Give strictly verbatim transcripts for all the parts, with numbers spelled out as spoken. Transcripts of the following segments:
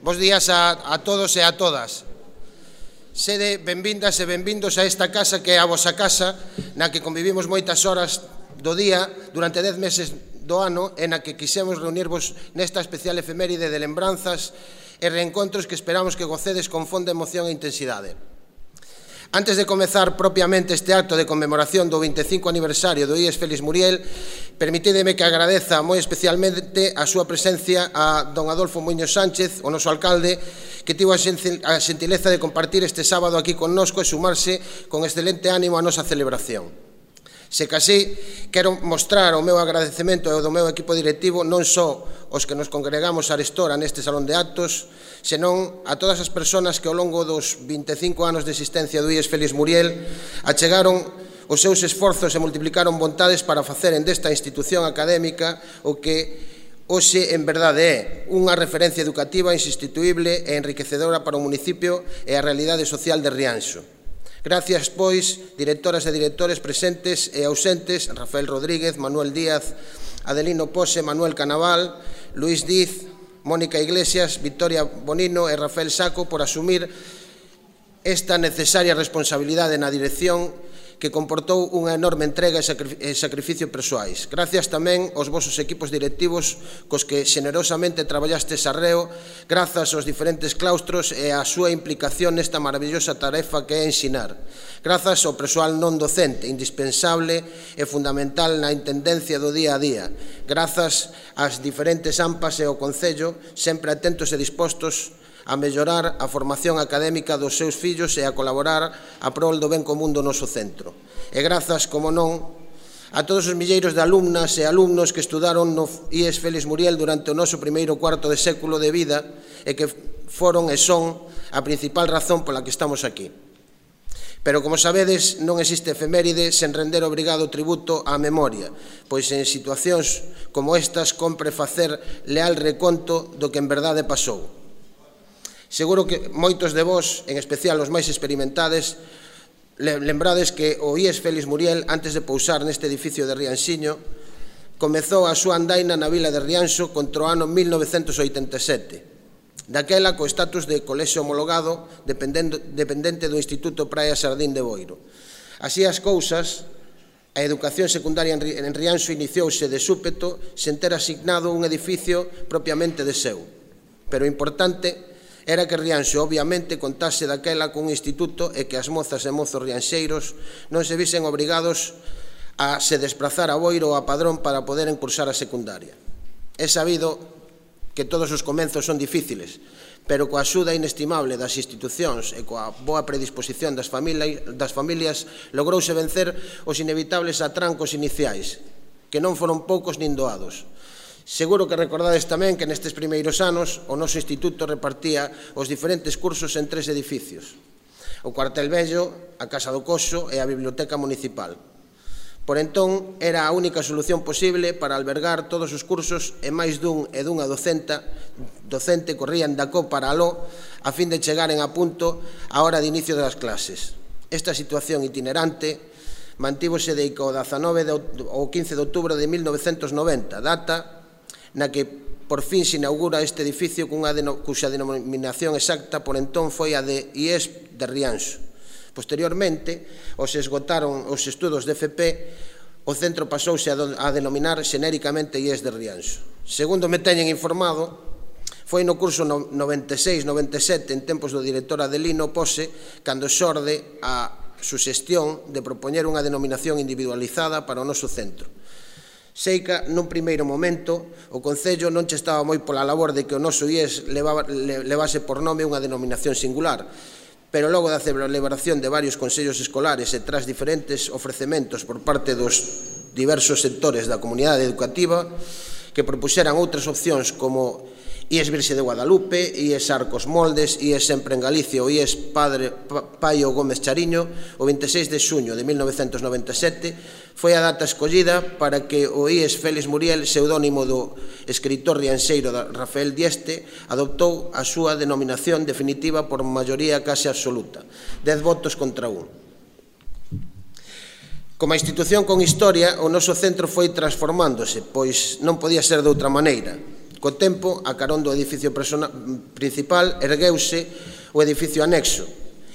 Bos días a, a todos e a todas. Sede benvindas e benvindos a esta casa que é a vosa casa, na que convivimos moitas horas do día durante dez meses do ano e na que quixemos reunirvos nesta especial efeméride de lembranzas e reencontros que esperamos que gocedes con fonda emoción e intensidade. Antes de comezar propiamente este acto de conmemoración do vinte e cinco aniversario do I E S Félix Muriel, permitídeme que agradeza moi especialmente a súa presencia a don Adolfo Muiños Sánchez, o noso alcalde, que tivo a xentileza de compartir este sábado aquí connosco e sumarse con excelente ánimo á nosa celebración. Se casí, quero mostrar o meu agradecemento ao do meu equipo directivo non só os que nos congregamos arestora neste salón de actos, senón a todas as persoas que ao longo dos vinte e cinco anos de existencia do I E S Félix Muriel achegaron os seus esforzos e multiplicaron vontades para faceren desta institución académica o que hoxe en verdade é unha referencia educativa insustituible e enriquecedora para o municipio e a realidade social de Rianxo. Gracias, pois, directoras e directores presentes e ausentes, Rafael Rodríguez, Manuel Díaz, Adelino Pose, Manuel Canaval, Luís Diz, Mónica Iglesias, Victoria Bonino e Rafael Saco por asumir esta necesaria responsabilidade na dirección que comportou unha enorme entrega e sacrificio persoais. Gracias tamén aos vosos equipos directivos cos que xenerosamente traballastes arreo, grazas aos diferentes claustros e á súa implicación nesta maravillosa tarefa que é ensinar. Grazas ao persoal non docente, indispensable e fundamental na intendencia do día a día. Grazas ás diferentes AMPAs e ao Concello, sempre atentos e dispostos a mellorar a formación académica dos seus fillos e a colaborar a prol do ben común do noso centro. E grazas, como non, a todos os milleiros de alumnas e alumnos que estudaron no I E S Félix Muriel durante o noso primeiro cuarto de século de vida e que foron e son a principal razón pola que estamos aquí. Pero, como sabedes, non existe efeméride sen render obrigado tributo á memoria, pois en situacións como estas compre facer leal reconto do que en verdade pasou. Seguro que moitos de vós, en especial os máis experimentades, lembrades que o I E S Félix Muriel, antes de pousar neste edificio de Rianxiño, comezou a súa andaina na vila de Rianxo contra o ano mil novecentos oitenta e sete. Daquela, co estatus de colexio homologado dependente do Instituto Praia Sardín de Boiro. Así as cousas, a educación secundaria en Rianxo iniciouse de súpeto sen ter asignado un edificio propiamente de seu. Pero o importante era que Rianxo, obviamente, contase daquela cun instituto e que as mozas e mozos rianxeiros non se visen obrigados a se desprazar a Boiro ou a Padrón para poder cursar a secundaria. É sabido que todos os comenzos son difíciles, pero coa axuda inestimable das institucións e coa boa predisposición das familias logrouse vencer os inevitables atrancos iniciais, que non foron poucos nin doados. Seguro que recordades tamén que nestes primeiros anos o noso instituto repartía os diferentes cursos en tres edificios: o cuartel vello, a Casa do Coxo e a Biblioteca Municipal. Por entón, era a única solución posible para albergar todos os cursos e máis dun e dunha docenta, docente corrían da co para aló a fin de chegaren a punto a hora de inicio das clases. Esta situación itinerante mantívose de o dezanove ou quince de outubro de mil novecentos noventa, data na que por fin se inaugura este edificio cuxa denominación exacta por entón foi a de I E S de Rianxo. Posteriormente, os esgotaron os estudos de F P, o centro pasouse a denominar xenéricamente I E S de Rianxo. Segundo me teñen informado, foi no curso noventa e seis noventa e sete, en tempos do director Adelino Pose, cando xorde a suxestión de propoñer unha denominación individualizada para o noso centro. Sei que, nun primeiro momento, o Concello non che estaba moi pola labor de que o noso I E S levase por nome unha denominación singular, pero logo da celebración de varios consellos escolares e tras diferentes ofrecementos por parte dos diversos sectores da comunidade educativa que propuxeran outras opcións como I E S Virxe de Guadalupe, I E S Arcos Moldes, I E S Sempre en Galicia ou I E S Padre Paio Gómez Chariño, o vinte e seis de xuño de mil novecentos noventa e sete foi a data escollida para que o I E S Félix Muriel, pseudónimo do escritor rianxeiro Rafael Dieste, adoptou a súa denominación definitiva por maioría case absoluta, dez votos contra un. Como a institución con historia, o noso centro foi transformándose, pois non podía ser de outra maneira. Co tempo, a carón do edificio principal, ergueuse o edificio anexo,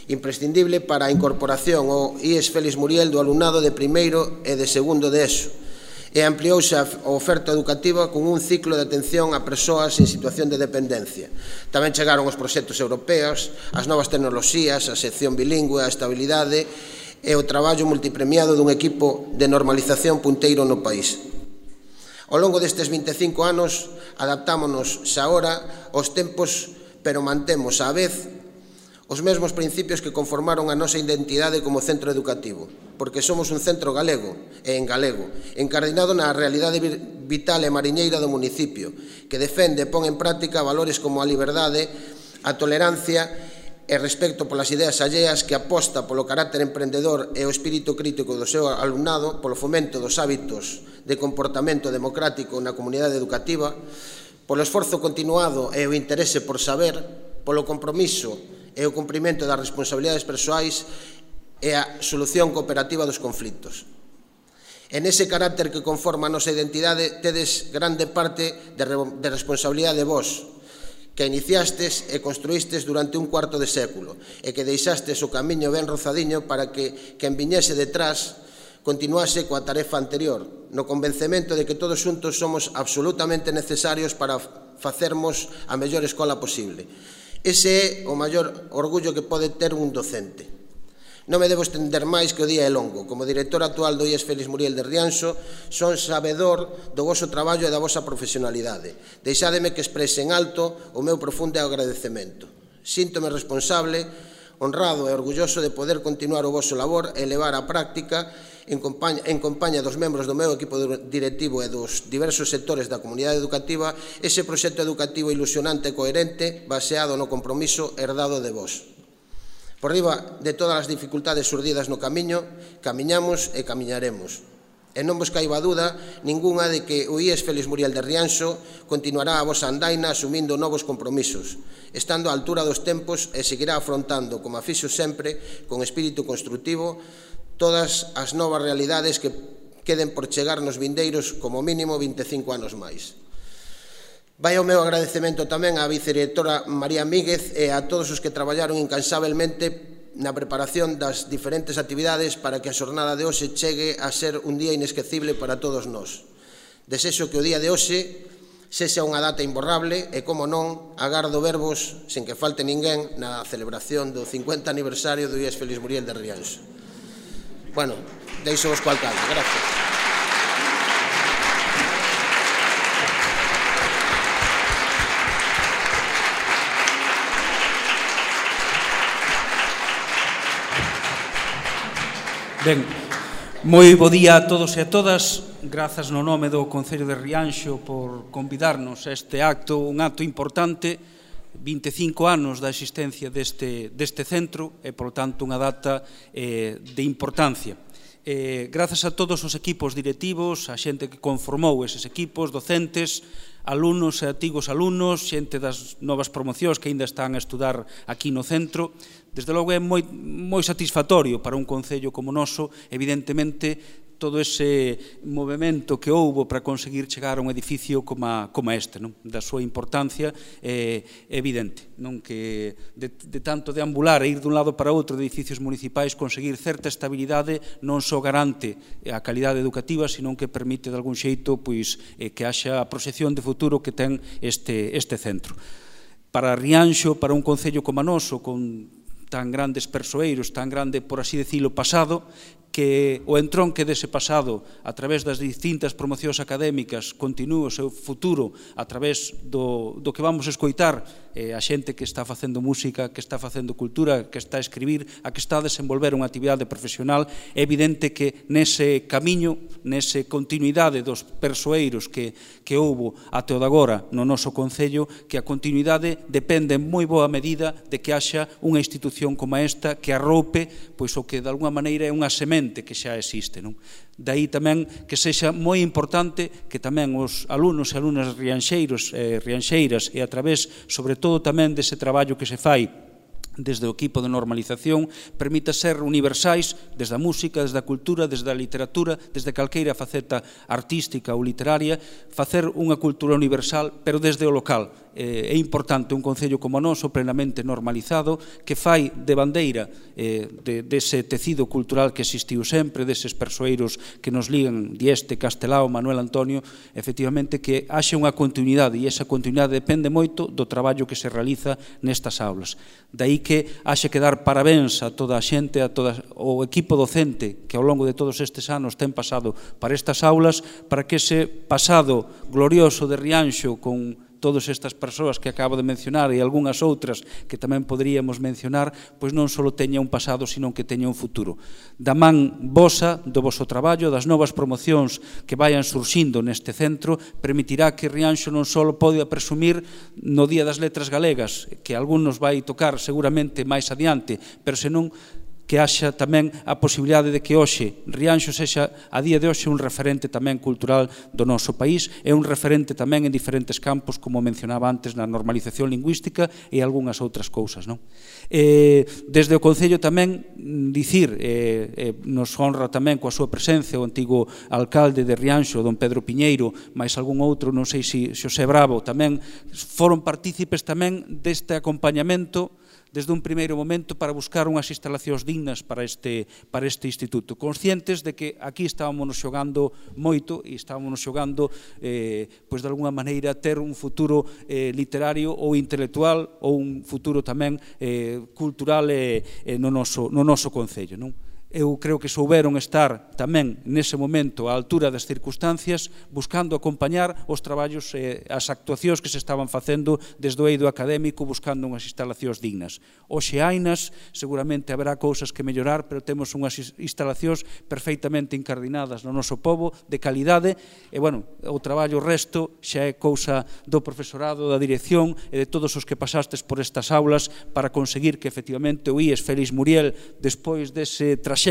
imprescindible para a incorporación ao I E S Félix Muriel do alumnado de primeiro e de segundo de ESO, e ampliouse a oferta educativa con un ciclo de atención a persoas en situación de dependencia. Tamén chegaron os proxectos europeos, as novas tecnoloxías, a sección bilingüe, a estabilidade e o traballo multipremiado dun equipo de normalización punteiro no país. Ao longo destes vinte e cinco anos, adaptámonos xa agora aos tempos, pero mantemos á vez os mesmos principios que conformaron a nosa identidade como centro educativo, porque somos un centro galego e en galego, encardinado na realidade vital e mariñeira do municipio, que defende e pon en práctica valores como a liberdade, a tolerancia e respecto polas ideas alleas, que aposta polo carácter emprendedor e o espírito crítico do seu alumnado, polo fomento dos hábitos de comportamento democrático na comunidade educativa, polo esforzo continuado e o interese por saber, polo compromiso e o cumprimento das responsabilidades persoais e a solución cooperativa dos conflitos. En ese carácter que conforma a nosa identidade tedes grande parte de responsabilidade vos, que iniciastes e construístes durante un cuarto de século e que deixastes o camiño ben rozadiño para que quen viñese detrás continuase coa tarefa anterior, no convencemento de que todos xuntos somos absolutamente necesarios para facermos a mellor escola posible. Ese é o maior orgullo que pode ter un docente. Non me debo estender máis que o día é longo. Como director actual do I E S Félix Muriel de Rianxo, son sabedor do voso traballo e da vosa profesionalidade. Deixádeme que exprese en alto o meu profundo agradecemento. Síntome responsable, honrado e orgulloso de poder continuar o voso labor e levar á práctica en compaña, en compaña dos membros do meu equipo directivo e dos diversos sectores da comunidade educativa ese proxecto educativo ilusionante e coherente baseado no compromiso herdado de vos. Por riba de todas as dificultades surdidas no camiño, camiñamos e camiñaremos. E non vos caiba dúda ningunha de que o I E S Félix Muriel de Rianxo continuará a vosa andaina asumindo novos compromisos, estando á altura dos tempos e seguirá afrontando, como a fixo sempre, con espírito construtivo, todas as novas realidades que queden por chegar nos vindeiros como mínimo vinte e cinco anos máis. Vai o meu agradecemento tamén á vicedirectora María Míguez e a todos os que traballaron incansabelmente na preparación das diferentes actividades para que a xornada de hoxe chegue a ser un día inesquecible para todos nós. Desexo que o día de hoxe sexa unha data imborrable e, como non, agardo verbos, sen que falte ninguén, na celebración do cincuenta aniversario do I E S Félix Muriel de Rianxo. Bueno, deixo vos co alcalde. Gracias. Ben, moi bo día a todos e a todas. Grazas no nome do Concello de Rianxo por convidarnos a este acto, un acto importante, vinte e cinco anos da existencia deste, deste centro e, por tanto, unha data eh, de importancia. Eh, grazas a todos os equipos directivos, a xente que conformou eses equipos, docentes, alumnos e antigos alumnos, xente das novas promocións que aínda están a estudar aquí no centro. Desde logo é moi, moi satisfactorio para un concello como o noso, evidentemente, todo ese movimento que houbo para conseguir chegar a un edificio como, a, como este, non? Da súa importancia é evidente, non? Que de, de tanto deambular e ir dun lado para outro de edificios municipais, conseguir certa estabilidade non só garante a calidade educativa, sino que permite de algún xeito pois, eh, que haxa a proxección de futuro que ten este, este centro. Para Rianxo, para un concello como a noso, con tan grandes persoeiros, tan grande, por así decirlo, pasado, que o entronque dese pasado a través das distintas promocións académicas continúe o seu futuro a través do, do que vamos a escoitar eh, a xente que está facendo música, que está facendo cultura, que está a escribir, a que está a desenvolver unha actividade profesional. É evidente que nese camiño, nese continuidade dos persoeiros que, que houbo até o de agora no noso Concello, que a continuidade depende en moi boa medida de que haxa unha institución como esta que arroupe pois, o que de alguna maneira é unha semente que xa existe, non? Daí tamén que sexa moi importante que tamén os alumnos e alumnas rianxeiros e rianxeiras e a través, sobre todo tamén dese traballo que se fai desde o equipo de normalización, permita ser universais desde a música, desde a cultura, desde a literatura, desde calqueira faceta artística ou literaria, facer unha cultura universal, pero desde o local. É importante un concello como o noso, plenamente normalizado, que fai de bandeira dese tecido cultural que existiu sempre, deses persoeiros que nos ligan, Dieste, Castelao, Manuel Antonio, efectivamente que haxe unha continuidade, e esa continuidade depende moito do traballo que se realiza nestas aulas. Daí que haxe que dar parabéns a toda a xente, a todo o equipo docente que ao longo de todos estes anos ten pasado para estas aulas, para que ese pasado glorioso de Rianxo con todas estas persoas que acabo de mencionar e algunhas outras que tamén poderíamos mencionar, pois non só teña un pasado, sino que teña un futuro. Da man vosa, do voso traballo, das novas promocións que vayan surxindo neste centro, permitirá que Rianxo non só pode presumir no Día das Letras Galegas, que algún nos vai tocar seguramente máis adiante, pero senón que haxa tamén a posibilidade de que hoxe Rianxo sexa a día de hoxe un referente tamén cultural do noso país e un referente tamén en diferentes campos, como mencionaba antes, na normalización lingüística e algunhas outras cousas. Desde o Concello tamén dicir, nos honra tamén coa súa presencia o antigo alcalde de Rianxo, don Pedro Piñeiro, máis algún outro, non sei se Xosé Bravo, tamén foron partícipes tamén deste acompañamento desde un primeiro momento para buscar unhas instalacións dignas para este, para este instituto, conscientes de que aquí estábamos xogando moito e estábamos xogando, eh, pois de alguna maneira, ter un futuro eh, literario ou intelectual ou un futuro tamén eh, cultural eh, eh, no, noso, no noso concello, non? Eu creo que souberon estar tamén nese momento á altura das circunstancias, buscando acompañar os traballos e as actuacións que se estaban facendo desde o eido académico, buscando unhas instalacións dignas. Hoxe hainas, seguramente haberá cousas que mellorar, pero temos unhas instalacións perfeitamente incardinadas no noso pobo, de calidade, e, bueno, o traballo resto xa é cousa do profesorado, da dirección e de todos os que pasastes por estas aulas para conseguir que, efectivamente, o I E S Félix Muriel, despois dese traxecto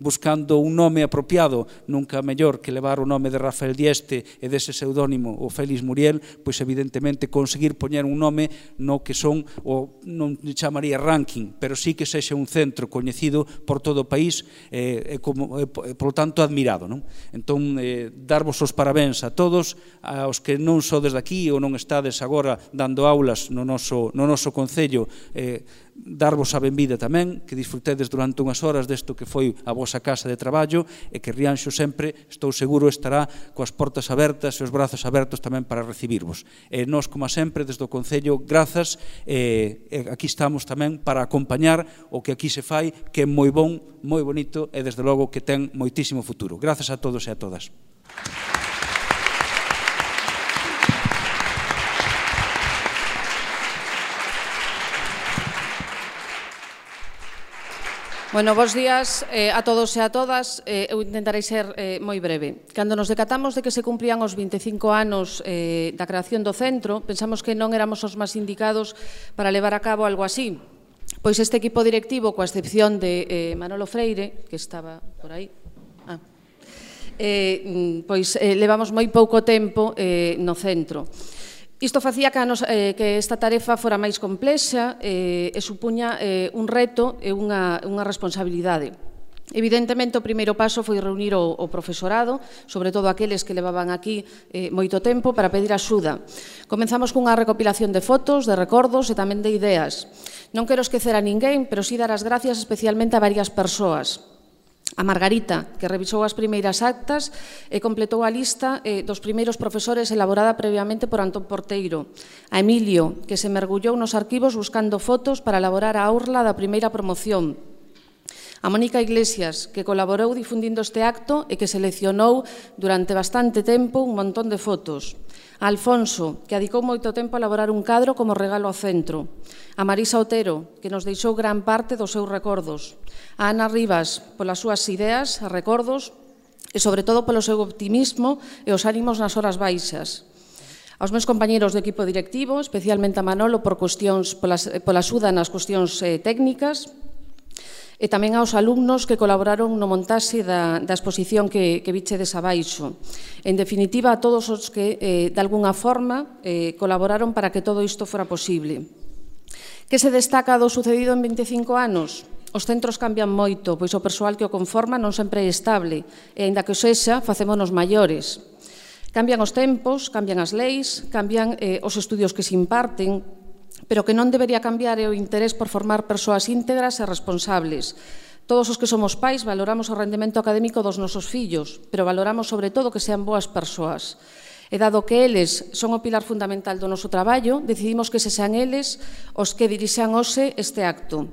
buscando un nome apropiado, nunca mellor que levar o nome de Rafael Dieste e dese pseudónimo o Félix Muriel, pois evidentemente conseguir poñer un nome no que son, o non chamaría ranking, pero sí que sexa un centro coñecido por todo o país e, como, e polo tanto admirado. Non? Entón, eh, darvos os parabéns a todos, aos que non sodes daqui ou non estades agora dando aulas no noso, no noso concello, eh, darvos a benvida tamén, que disfrutedes durante unhas horas desto que foi a vosa casa de traballo e que Rianxo sempre, estou seguro, estará coas portas abertas e os brazos abertos tamén para recibirvos. E nós, como sempre, desde o Concello, grazas, e aquí estamos tamén para acompañar o que aquí se fai, que é moi bon, moi bonito e, desde logo, que ten moitísimo futuro. Grazas a todos e a todas. Bueno, bons días eh, a todos e a todas. Eh, eu intentarei ser eh, moi breve. Cando nos decatamos de que se cumplían os vinte e cinco anos eh, da creación do centro, pensamos que non éramos os máis indicados para levar a cabo algo así. Pois este equipo directivo, coa excepción de eh, Manolo Freire, que estaba por aí, ah, eh, pois eh, levamos moi pouco tempo eh, no centro. Isto facía que, nos, eh, que esta tarefa fora máis complexa eh, e supuña eh, un reto e unha, unha responsabilidade. Evidentemente, o primeiro paso foi reunir o, o profesorado, sobre todo aqueles que levaban aquí eh, moito tempo, para pedir axuda. Comenzamos cunha recopilación de fotos, de recordos e tamén de ideas. Non quero esquecer a ninguén, pero sí dar as gracias especialmente a varias persoas. A Margarita, que revisou as primeiras actas e completou a lista eh, dos primeiros profesores elaborada previamente por Antón Porteiro. A Emilio, que se mergullou nos arquivos buscando fotos para elaborar a aurla da primeira promoción. A Mónica Iglesias, que colaborou difundindo este acto e que seleccionou durante bastante tempo un montón de fotos. A Alfonso, que adicou moito tempo a elaborar un cadro como regalo ao centro. A Marisa Otero, que nos deixou gran parte dos seus recordos. A Ana Rivas, polas súas ideas, recordos e, sobre todo, polo seu optimismo e os ánimos nas horas baixas. Aos meus compañeros do equipo directivo, especialmente a Manolo, por cuestións, pola axuda nas cuestións eh, técnicas, e tamén aos alumnos que colaboraron no montaxe da, da exposición que, que vichedes abaixo. En definitiva, a todos os que, eh, de algunha forma, eh, colaboraron para que todo isto fora posible. Que se destaca do sucedido en vinte e cinco anos? Os centros cambian moito, pois o persoal que o conforma non sempre é estable, e, aínda que o sexa, facémonos maiores. Cambian os tempos, cambian as leis, cambian eh, os estudios que se imparten, pero que non debería cambiar é o interés por formar persoas íntegras e responsables. Todos os que somos pais valoramos o rendemento académico dos nosos fillos, pero valoramos sobre todo que sean boas persoas. E dado que eles son o pilar fundamental do noso traballo, decidimos que se sean eles os que dirixan hoxe este acto,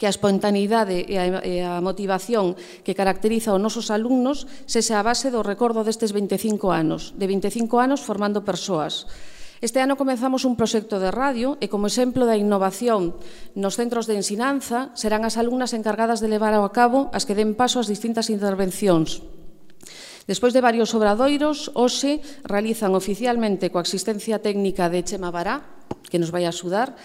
que a espontaneidade e a, e a motivación que caracteriza os nosos alumnos sexa a base do recordo destes vinte e cinco anos, de vinte e cinco anos formando persoas. Este ano comezamos un proxecto de radio e, como exemplo da innovación nos centros de ensinanza, serán as alumnas encargadas de levar a cabo as que den paso ás distintas intervencións. Despois de varios obradoiros, hoxe realizan oficialmente coa asistencia técnica de Chema Bará, que nos vai axudar,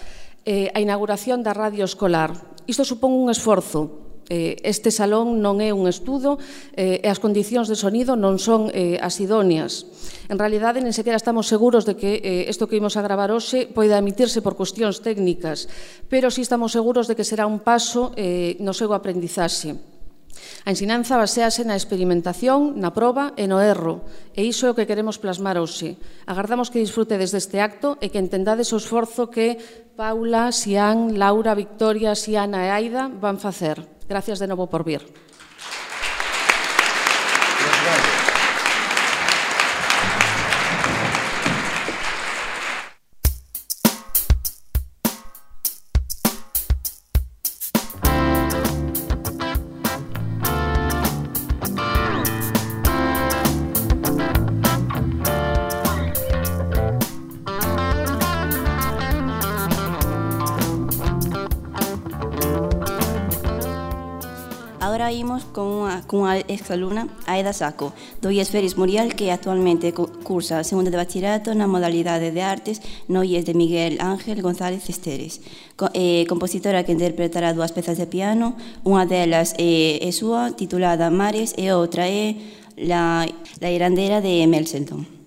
eh, a inauguración da radio escolar. Isto supón un esforzo. Eh, este salón non é un estudo eh, e as condicións de sonido non son eh, as idóneas. En realidade, nen sequera estamos seguros de que eh, isto que imos a gravar hoxe poida emitirse por cuestións técnicas, pero sí estamos seguros de que será un paso eh, no seu aprendizaxe. A ensinanza basease na experimentación, na proba e no erro, e iso é o que queremos plasmar hoxe. Agardamos que disfrutedes deste acto e que entendades o esforzo que Paula, Xián, Laura, Victoria, Xiana e Aida van facer. Gracias de novo por vir. Agora imos con unha, con unha exalumna, Aida Saco, do I E S Félix Muriel, que actualmente cursa segundo de bachillerato na modalidade de artes no I E S de Miguel Ángel González Esteres. Co, eh, compositora que interpretará dúas pezas de piano, unha delas é, é súa, titulada Mares, e outra é La, la Irandera de Mel Selton.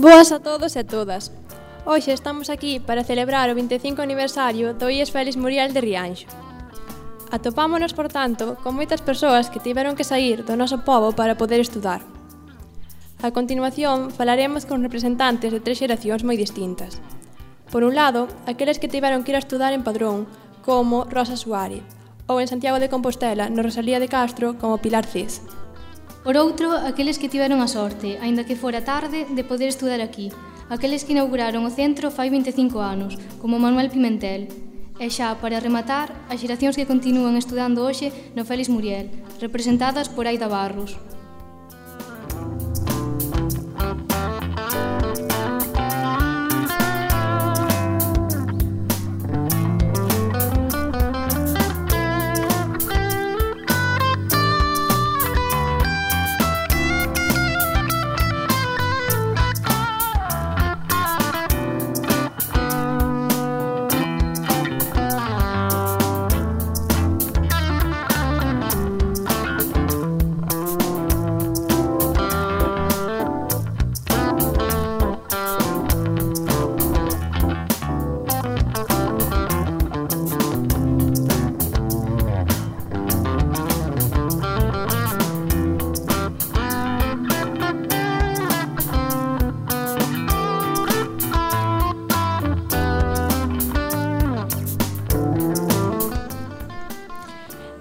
Boas a todos e todas. Hoxe estamos aquí para celebrar o vinte e cinco aniversario do I E S Félix Muriel de Rianxo. Atopámonos, por tanto, con moitas persoas que tiveron que saír do noso pobo para poder estudar. A continuación, falaremos con representantes de tres xeracións moi distintas. Por un lado, aqueles que tiveron que ir a estudar en Padrón, como Rosa Suárez, ou en Santiago de Compostela, no Rosalía de Castro, como Pilar Cés. Por outro, aqueles que tiveron a sorte, aínda que fora tarde, de poder estudar aquí. Aqueles que inauguraron o centro fai vinte e cinco anos, como Manuel Pimentel. E xa, para rematar, as xeracións que continúan estudando hoxe no Félix Muriel, representadas por Aida Barros.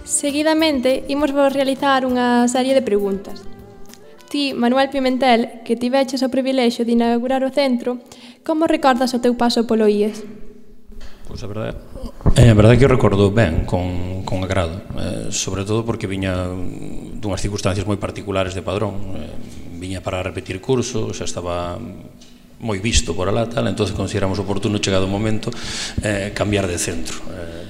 Seguidamente, imos vos realizar unha serie de preguntas. Ti, Manuel Pimentel, que tiveches o privilexio de inaugurar o centro, como recordas o teu paso polo I E S? Pois a verdade, é, a verdade que eu recordo ben, con, con agrado, eh, sobre todo porque viña dunhas circunstancias moi particulares de Padrón, eh, viña para repetir curso, xa estaba moi visto por alá, tal, entón consideramos oportuno, chegado o momento, eh, cambiar de centro. Eh,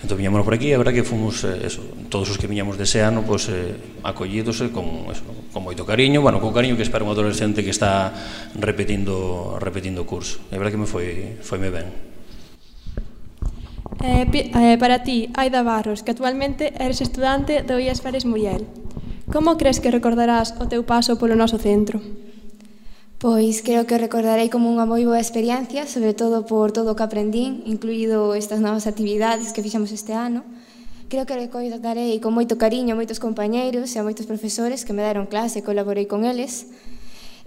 entón viñamos por aquí, a verdade que fomos, eh, eso, todos os que viñamos dese ano, pues, eh, acollidos eh, con, eso, con moito cariño, bueno, con cariño que espera un adolescente que está repetindo repetindo o curso. A verdade que me foi, foime ben. Eh, eh, para ti, Aida Barros, que actualmente eres estudante do I E S Félix Muriel, como crees que recordarás o teu paso polo noso centro? Pois creo que recordarei como unha moi boa experiencia, sobre todo por todo o que aprendín, incluído estas novas actividades que fixamos este ano. Creo que recordarei con moito cariño a moitos compañeiros e a moitos profesores que me deron clase e colaborei con eles.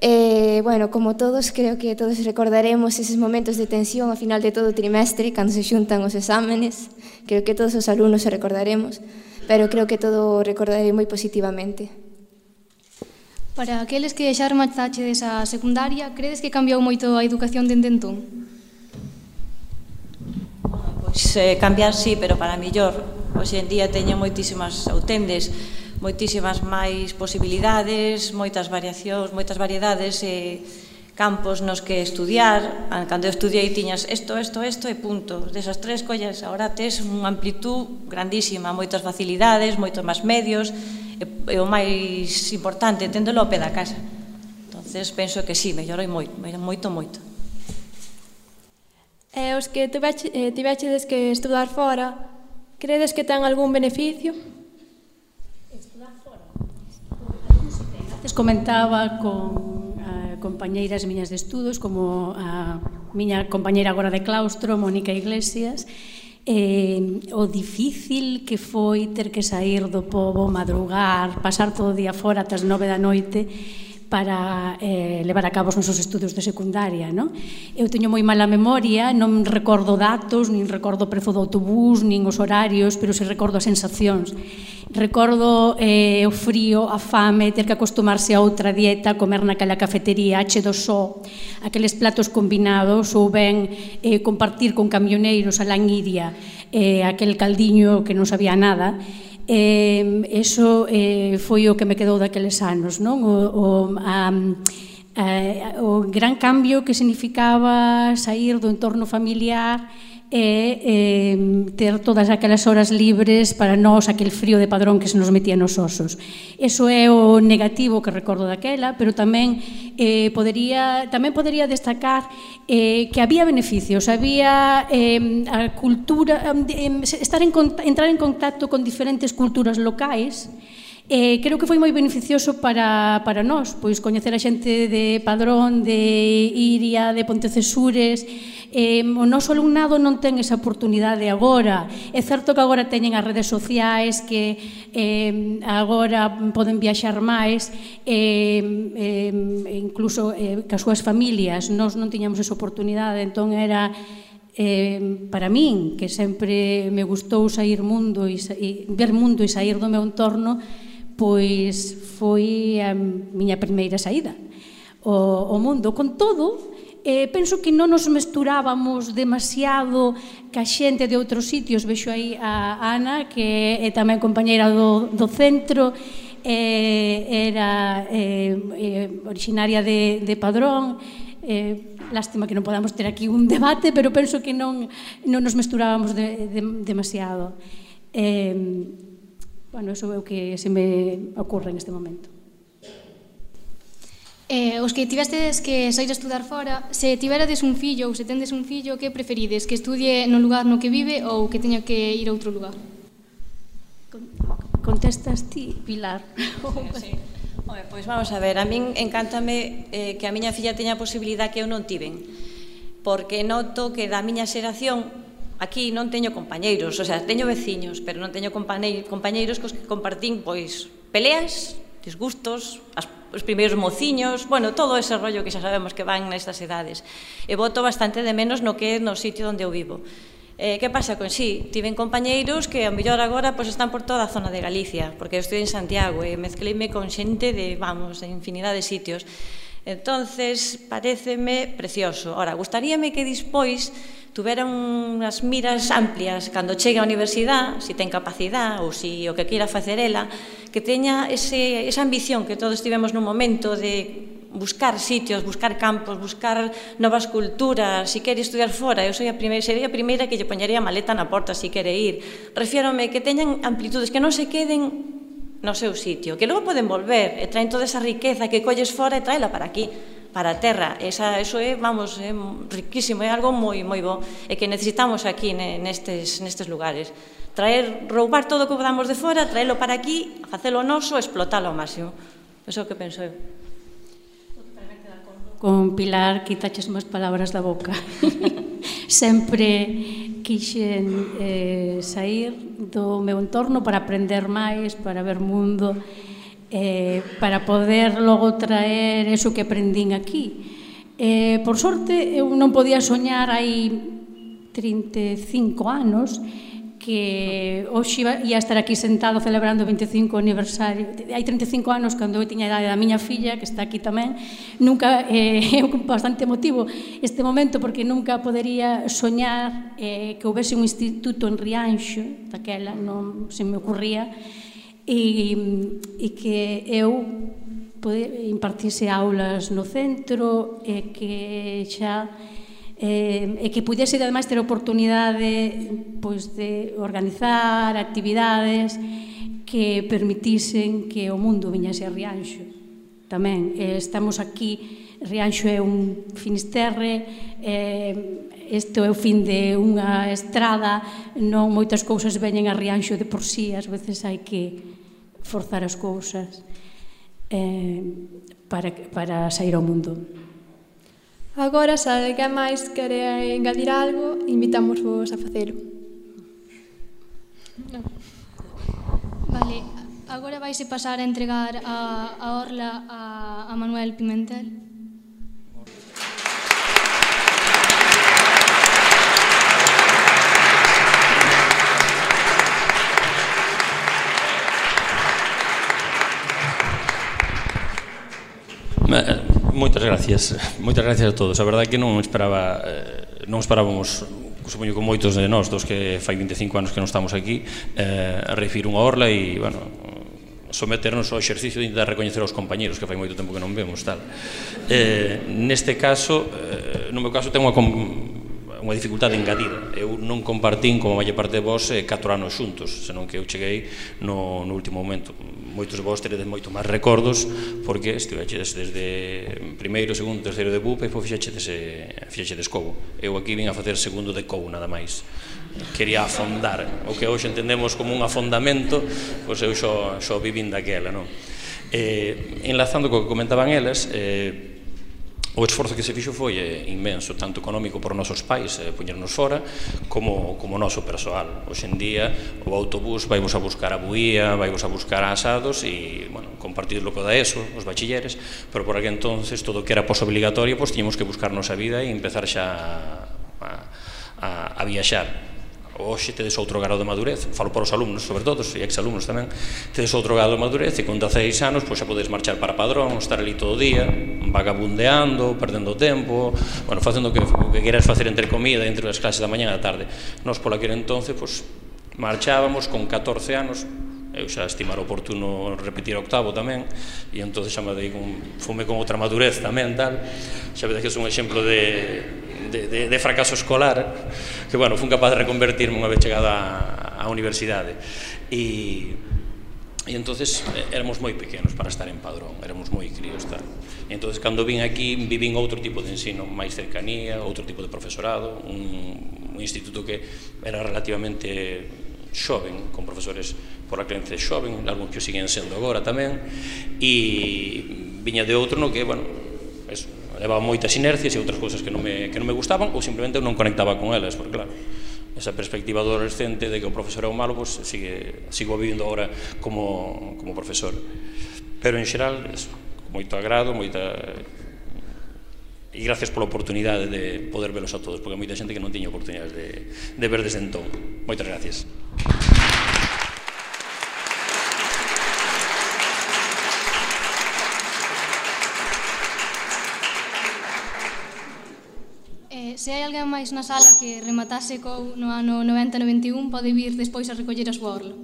E, bueno, como todos, creo que todos recordaremos eses momentos de tensión ao final de todo o trimestre, cando se xuntan os exámenes. Creo que todos os alumnos se recordaremos, pero creo que todo o recordarei moi positivamente. Para aqueles que xa remachaches a secundaria, credes que cambiou moito a educación dende entón? Pois eh, cambiar sí, pero para millor. Hoxe en día teñen moitísimas, ou tendes, moitísimas máis posibilidades, moitas variacións, moitas variedades e campos nos que estudiar. Cando eu estudiei tiñas isto, isto, isto e punto. Desas tres collas, agora tes unha amplitud grandísima, moitas facilidades, moitos máis medios, e o máis importante, téndolo ao pé da casa. Entonces, penso que sí, mellorou moito, moito, moito. E os que tivechedes que estudar fora, credes que ten algún beneficio? Estudar fora? Antes comentaba con uh, compañeiras miñas de estudos, como a miña compañeira agora de claustro, Mónica Iglesias, Eh, o difícil que foi ter que sair do pobo, madrugar, pasar todo o día fora ata as nove da noite para eh, levar a cabo os nosos estudos de secundaria, non? Eu teño moi mala memoria, non recordo datos, nin recordo o prezo do autobús, nin os horarios, pero se recordo as sensacións. Recordo eh, o frío, a fame, ter que acostumarse a outra dieta, comer naquela cafetería, che do só, aqueles platos combinados, ou ben eh, compartir con camioneiros a languidia, eh, aquel caldiño que non sabía nada. Eh, eso eh, foi o que me quedou daqueles anos, non? O, o, a, a, o gran cambio que significaba sair do entorno familiar e eh, ter todas aquelas horas libres para nós, aquel frío de Padrón que se nos metía nos osos. Eso é o negativo que recordo daquela, pero tamén eh, podería, tamén podería destacar eh, que había beneficios, había eh, a cultura, eh, estar en, entrar en contacto con diferentes culturas locais. Eh, creo que foi moi beneficioso para, para nós, pois coñecer a xente de Padrón, de Iria, de Pontecesures. Eh, o noso alumnado non ten esa oportunidade agora. É certo que agora teñen as redes sociais, que eh, agora poden viaxar máis, eh, eh, incluso eh, que as súas familias. Nós non tiñamos esa oportunidade, entón era... Eh, para min, que sempre me gustou sair mundo e, e ver mundo e sair do meu entorno, pois foi a miña primeira saída ao mundo. Con todo, eh, penso que non nos mesturábamos demasiado ca xente de outros sitios. Vexo aí a Ana, que é tamén compañeira do, do centro, eh, era eh, eh, originaria de, de Padrón. Eh, lástima que non podamos ter aquí un debate, pero penso que non, non nos mesturábamos de, de, demasiado. Eh, Bueno, iso é o que se me ocorre en este momento. Eh, os que tivestes que sair a estudar fora, se tiverades un fillo ou se tendes un fillo, que preferides? Que estudie no lugar no que vive ou que teña que ir a outro lugar? Contestas ti, Pilar. Sí. Oye, pois vamos a ver, a min encántame eh, que a miña filla teña a posibilidad que eu non tiven, porque noto que da miña xeración aquí non teño compañeiros, o sea, teño veciños, pero non teño compañeiros cos que compartín, pois, peleas, disgustos, as, os primeiros mociños, bueno, todo ese rollo que xa sabemos que van nestas edades. E boto bastante de menos no que é no sitio onde eu vivo. Eh, que pasa con sí? Tiven compañeiros que, a mellor agora, pois, están por toda a zona de Galicia, porque eu estou en Santiago e mezcleime con xente de, vamos, de infinidade de sitios. Entonces, pareceme precioso. Ora, gustaríame que dispois tuveran unhas miras amplias cando chegue á universidade, se ten capacidade ou se o que queira facer ela, que teña ese, esa ambición que todos tivemos nun momento de buscar sitios, buscar campos, buscar novas culturas, se quere estudiar fora. Eu soy a primeira, sería a primeira que lle poñería a maleta na porta se quere ir. Refiérome que teñan amplitudes, que non se queden no seu sitio, que logo poden volver e traen toda esa riqueza que colles fora e traela para aquí, para a terra. Esa, eso é, vamos, é riquísimo, é algo moi, moi bo, e que necesitamos aquí nestes, nestes lugares. Traer, roubar todo o que podamos de fora, traelo para aquí, facelo noso, explotalo ao máximo. Eso é o que penso eu. Con Pilar, quitaches máis palabras da boca. Sempre quixen eh, sair do meu entorno para aprender máis, para ver mundo, eh, para poder logo traer eso que aprendín aquí. Eh, por sorte, eu non podía soñar hai trinta e cinco anos que hoxe ia estar aquí sentado celebrando o veinticinco aniversario. Hai trinta e cinco anos, cando eu tiña a idade da miña filla, que está aquí tamén, nunca, é eh, bastante emotivo este momento, porque nunca podería soñar eh, que houvese un instituto en Rianxo, daquela non se me ocurría, e, e que eu impartise aulas no centro, e que xa eh, e que pudese ademais ter a oportunidade pois, de organizar actividades que permitisen que o mundo viñase a Rianxo. Tamén eh, estamos aquí, Rianxo é un finisterre, eh, este é o fin de unha estrada, non moitas cousas veñen a Rianxo de por sí, ás veces hai que forzar as cousas eh, para, para sair ao mundo. Agora, se alguén máis quere engadir algo, invitamos vos a facelo. Vale, Agora vaise pasar a entregar a, a orla a, a Manuel Pimentel. Moitas gracias, moitas gracias a todos. A verdade é que non esperaba, non esperábamos, supoño que moitos de nós, dos que fai vinte e cinco anos que non estamos aquí, a recibir unha orla e, bueno, someternos ao exercicio de intentar recoñecer aos compañeros, que fai moito tempo que non vemos, tal. Neste caso, no meu caso, ten unha unha dificultade engadida. Eu non compartín, como a maior parte de vós, catro anos xuntos, senón que eu cheguei no, no último momento. Moitos de vós teredes moito máis recordos, porque estiveches desde primeiro, segundo, terceiro de B U P e depois fixechedes Cobo. Eu aquí vim a facer segundo de Cobo, nada máis. Quería afondar. O que hoxe entendemos como un afondamento, pois eu xo, xo vivín daquela, non? Eh, enlazando co que comentaban elas, eh, o esforzo que se fixo foi inmenso, tanto económico por nosos pais, poñernos fora, como o noso persoal. Hoxe en día o autobús vai vos a buscar a Buía, vai vos a buscar a Asados e, bueno, compartido co da ESO, os bachilleres, pero por aquel entonces todo o que era posobligatorio, pois tiñamos que buscarnos a vida e empezar xa a viaxar. Hoxe tedes outro grado de madurez, falo para os alumnos, sobre todo, e ex-alumnos tamén, tedes outro grado de madurez e con dezaseis anos xa podes marchar para Padrón, estar ali todo o día, vagabundeando, perdendo tempo, bueno, facendo o que queres facer entre comida, entre as clases da mañá e da tarde. Nós, por aquel entonces, marchábamos con catorce anos, eu xa estimar oportuno repetir octavo tamén, e entón xa me dei fume con outra madurez tamén, tal, xa vedes que é un exemplo de De, de, de fracaso escolar que, bueno, fun capaz de reconvertirme unha vez chegada á universidade e, e entonces éramos moi pequenos para estar en Padrón, éramos moi críos, tal. E entonces cando vin aquí vivín outro tipo de ensino, máis cercanía, outro tipo de profesorado, un, un instituto que era relativamente xoven, con profesores por a creencia xoven, algúns que o siguen sendo agora tamén, e viña de outro no que, bueno, eso, levaba moitas inercias e outras cousas que non me, que non me gustaban ou simplemente non conectaba con elas, porque claro, esa perspectiva do adolescente de que o profesor é o malo, pues, sigue, sigo vivindo agora como, como profesor. Pero en xeral, eso, con moito agrado, moita... e gracias pola oportunidade de poder velos a todos, porque hai moita xente que non tiña oportunidades de, de ver desde entón. Moitas gracias. Se hai alguén máis na sala que rematase co no ano noventa noventa e un, pode vir despois a recoller a súa orla.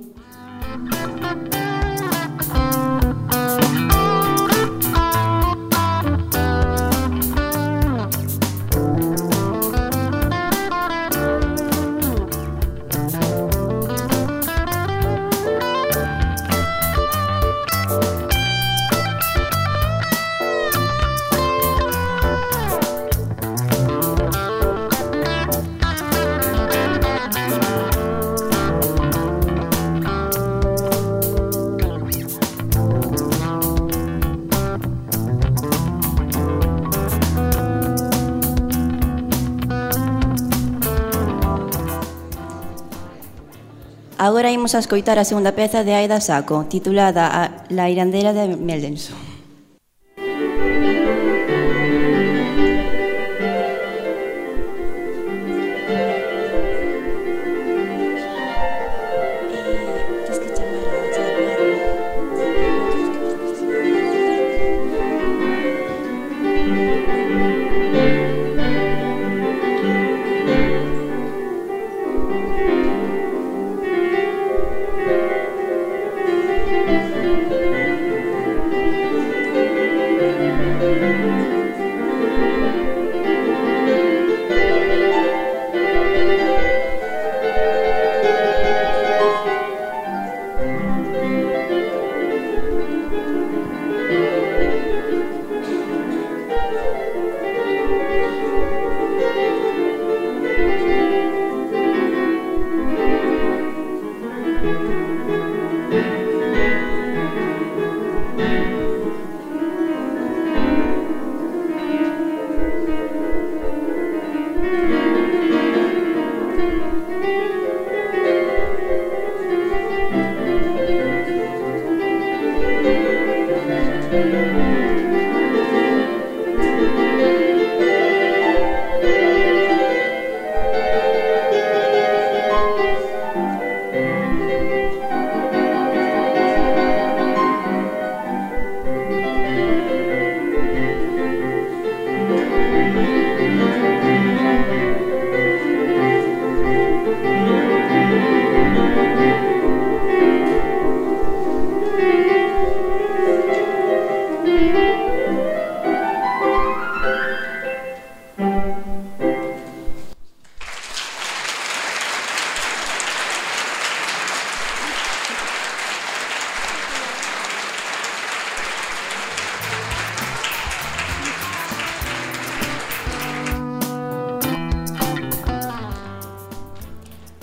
Agora imos a escoitar a segunda peza de Aida Saco, titulada A La Irandera de Meldenso.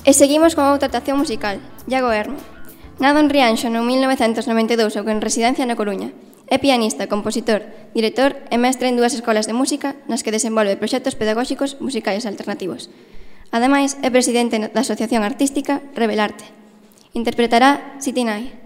E seguimos con outra actuación musical, Iago Hermo. Nado en Rianxo no mil novecentos noventa e dous ou en residencia na Coruña. É pianista, compositor, director e mestre en dúas escolas de música nas que desenvolve proxectos pedagóxicos musicais alternativos. Ademais, é presidente da Asociación Artística Revelarte. Interpretará City Night.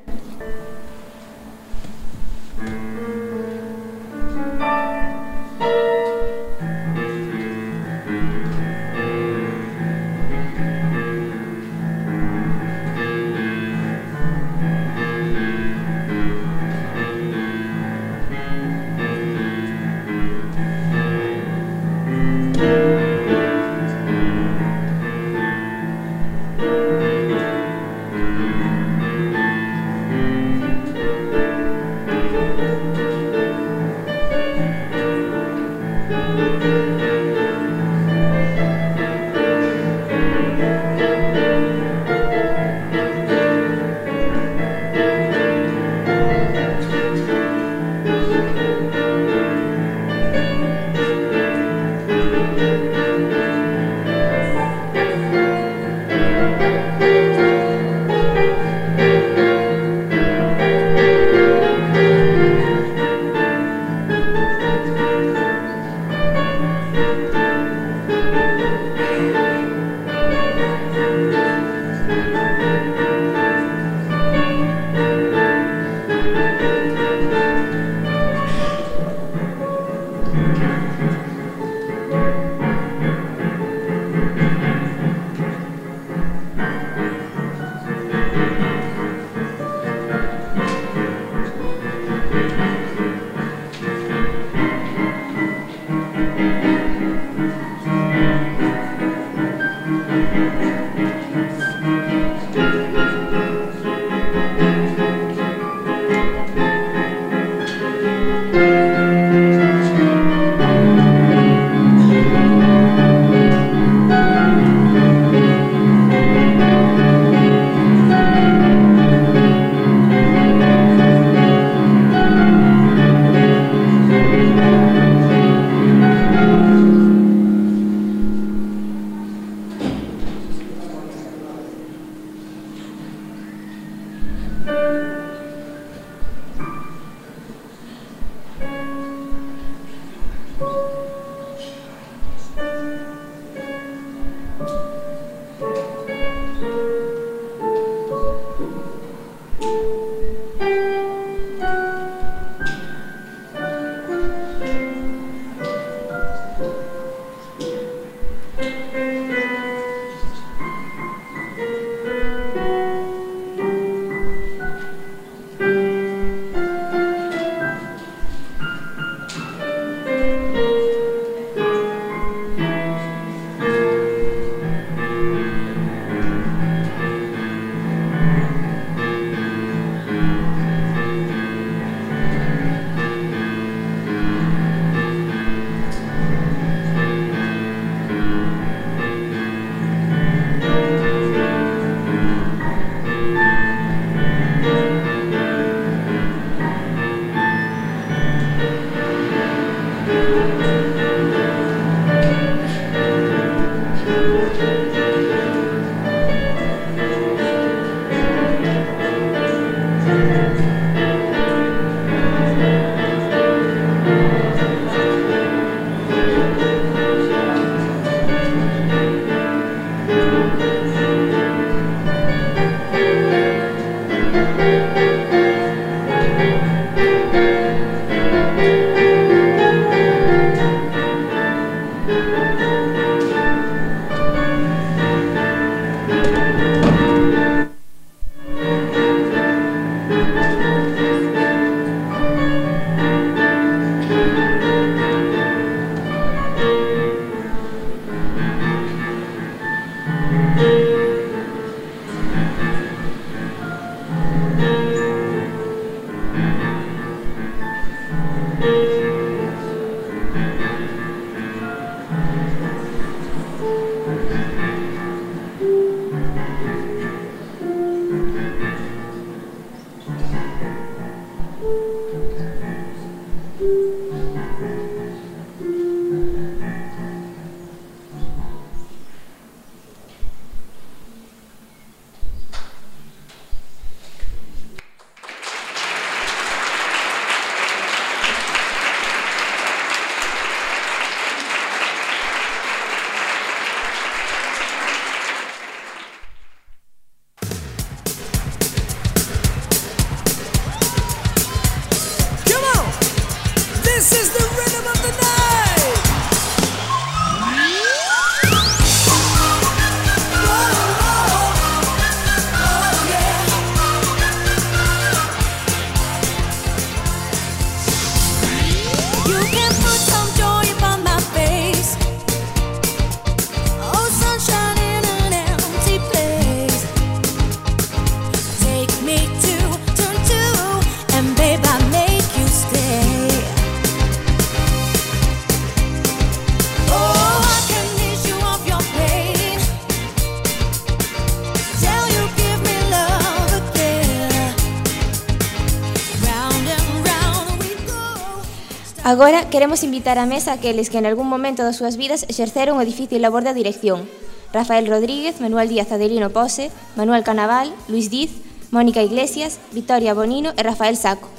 Agora queremos invitar á mesa aqueles que en algún momento das súas vidas exerceron o difícil labor da dirección. Rafael Rodríguez, Manuel Díaz Adelino Pose, Manuel Canaval, Luis Diz, Mónica Iglesias, Victoria Bonino e Rafael Saco.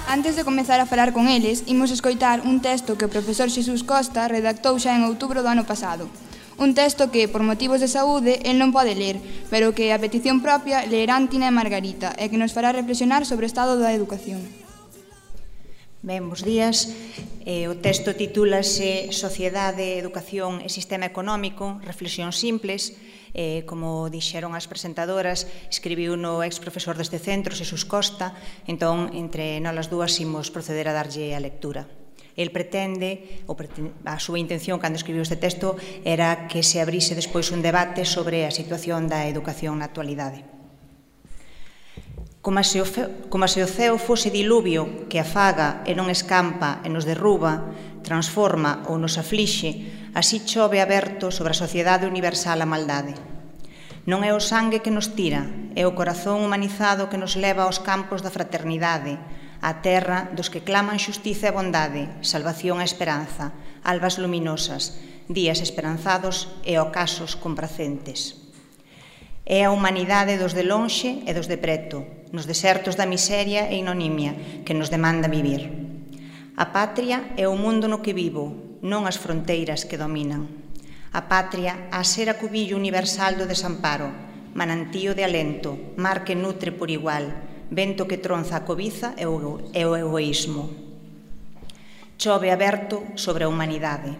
Antes de comezar a falar con eles, imos escoitar un texto que o profesor Xesús Costa redactou xa en outubro do ano pasado. Un texto que, por motivos de saúde, el non pode ler, pero que, a petición propia, leerán Tina e Margarita, e que nos fará reflexionar sobre o estado da educación. Ben, bons días. Eh, o texto titúlase Sociedade, Educación e Sistema Económico, reflexións simples. Eh, como dixeron as presentadoras, escribiu no ex profesor deste centro, Xesús Costa, entón, entre nós as dúas, imos proceder a darlle a lectura. El pretende, ou pretende, a súa intención cando escribiu este texto era que se abrise despois un debate sobre a situación da educación na actualidade. Como se, o fe, como se o ceo fose diluvio que afaga e non escampa e nos derruba, transforma ou nos aflixe, así chove aberto sobre a sociedade universal a maldade. Non é o sangue que nos tira, é o corazón humanizado que nos leva aos campos da fraternidade, á terra dos que claman xustiza e bondade, salvación e esperanza, albas luminosas, días esperanzados e ocasos compracentes. É a humanidade dos de lonxe e dos de preto, nos desertos da miseria e inonimia que nos demanda vivir. A patria é o mundo no que vivo, non as fronteiras que dominan. A patria a ser a cubillo universal do desamparo, manantío de alento, mar que nutre por igual, vento que tronza a cobiza e o egoísmo. Chove aberto sobre a humanidade.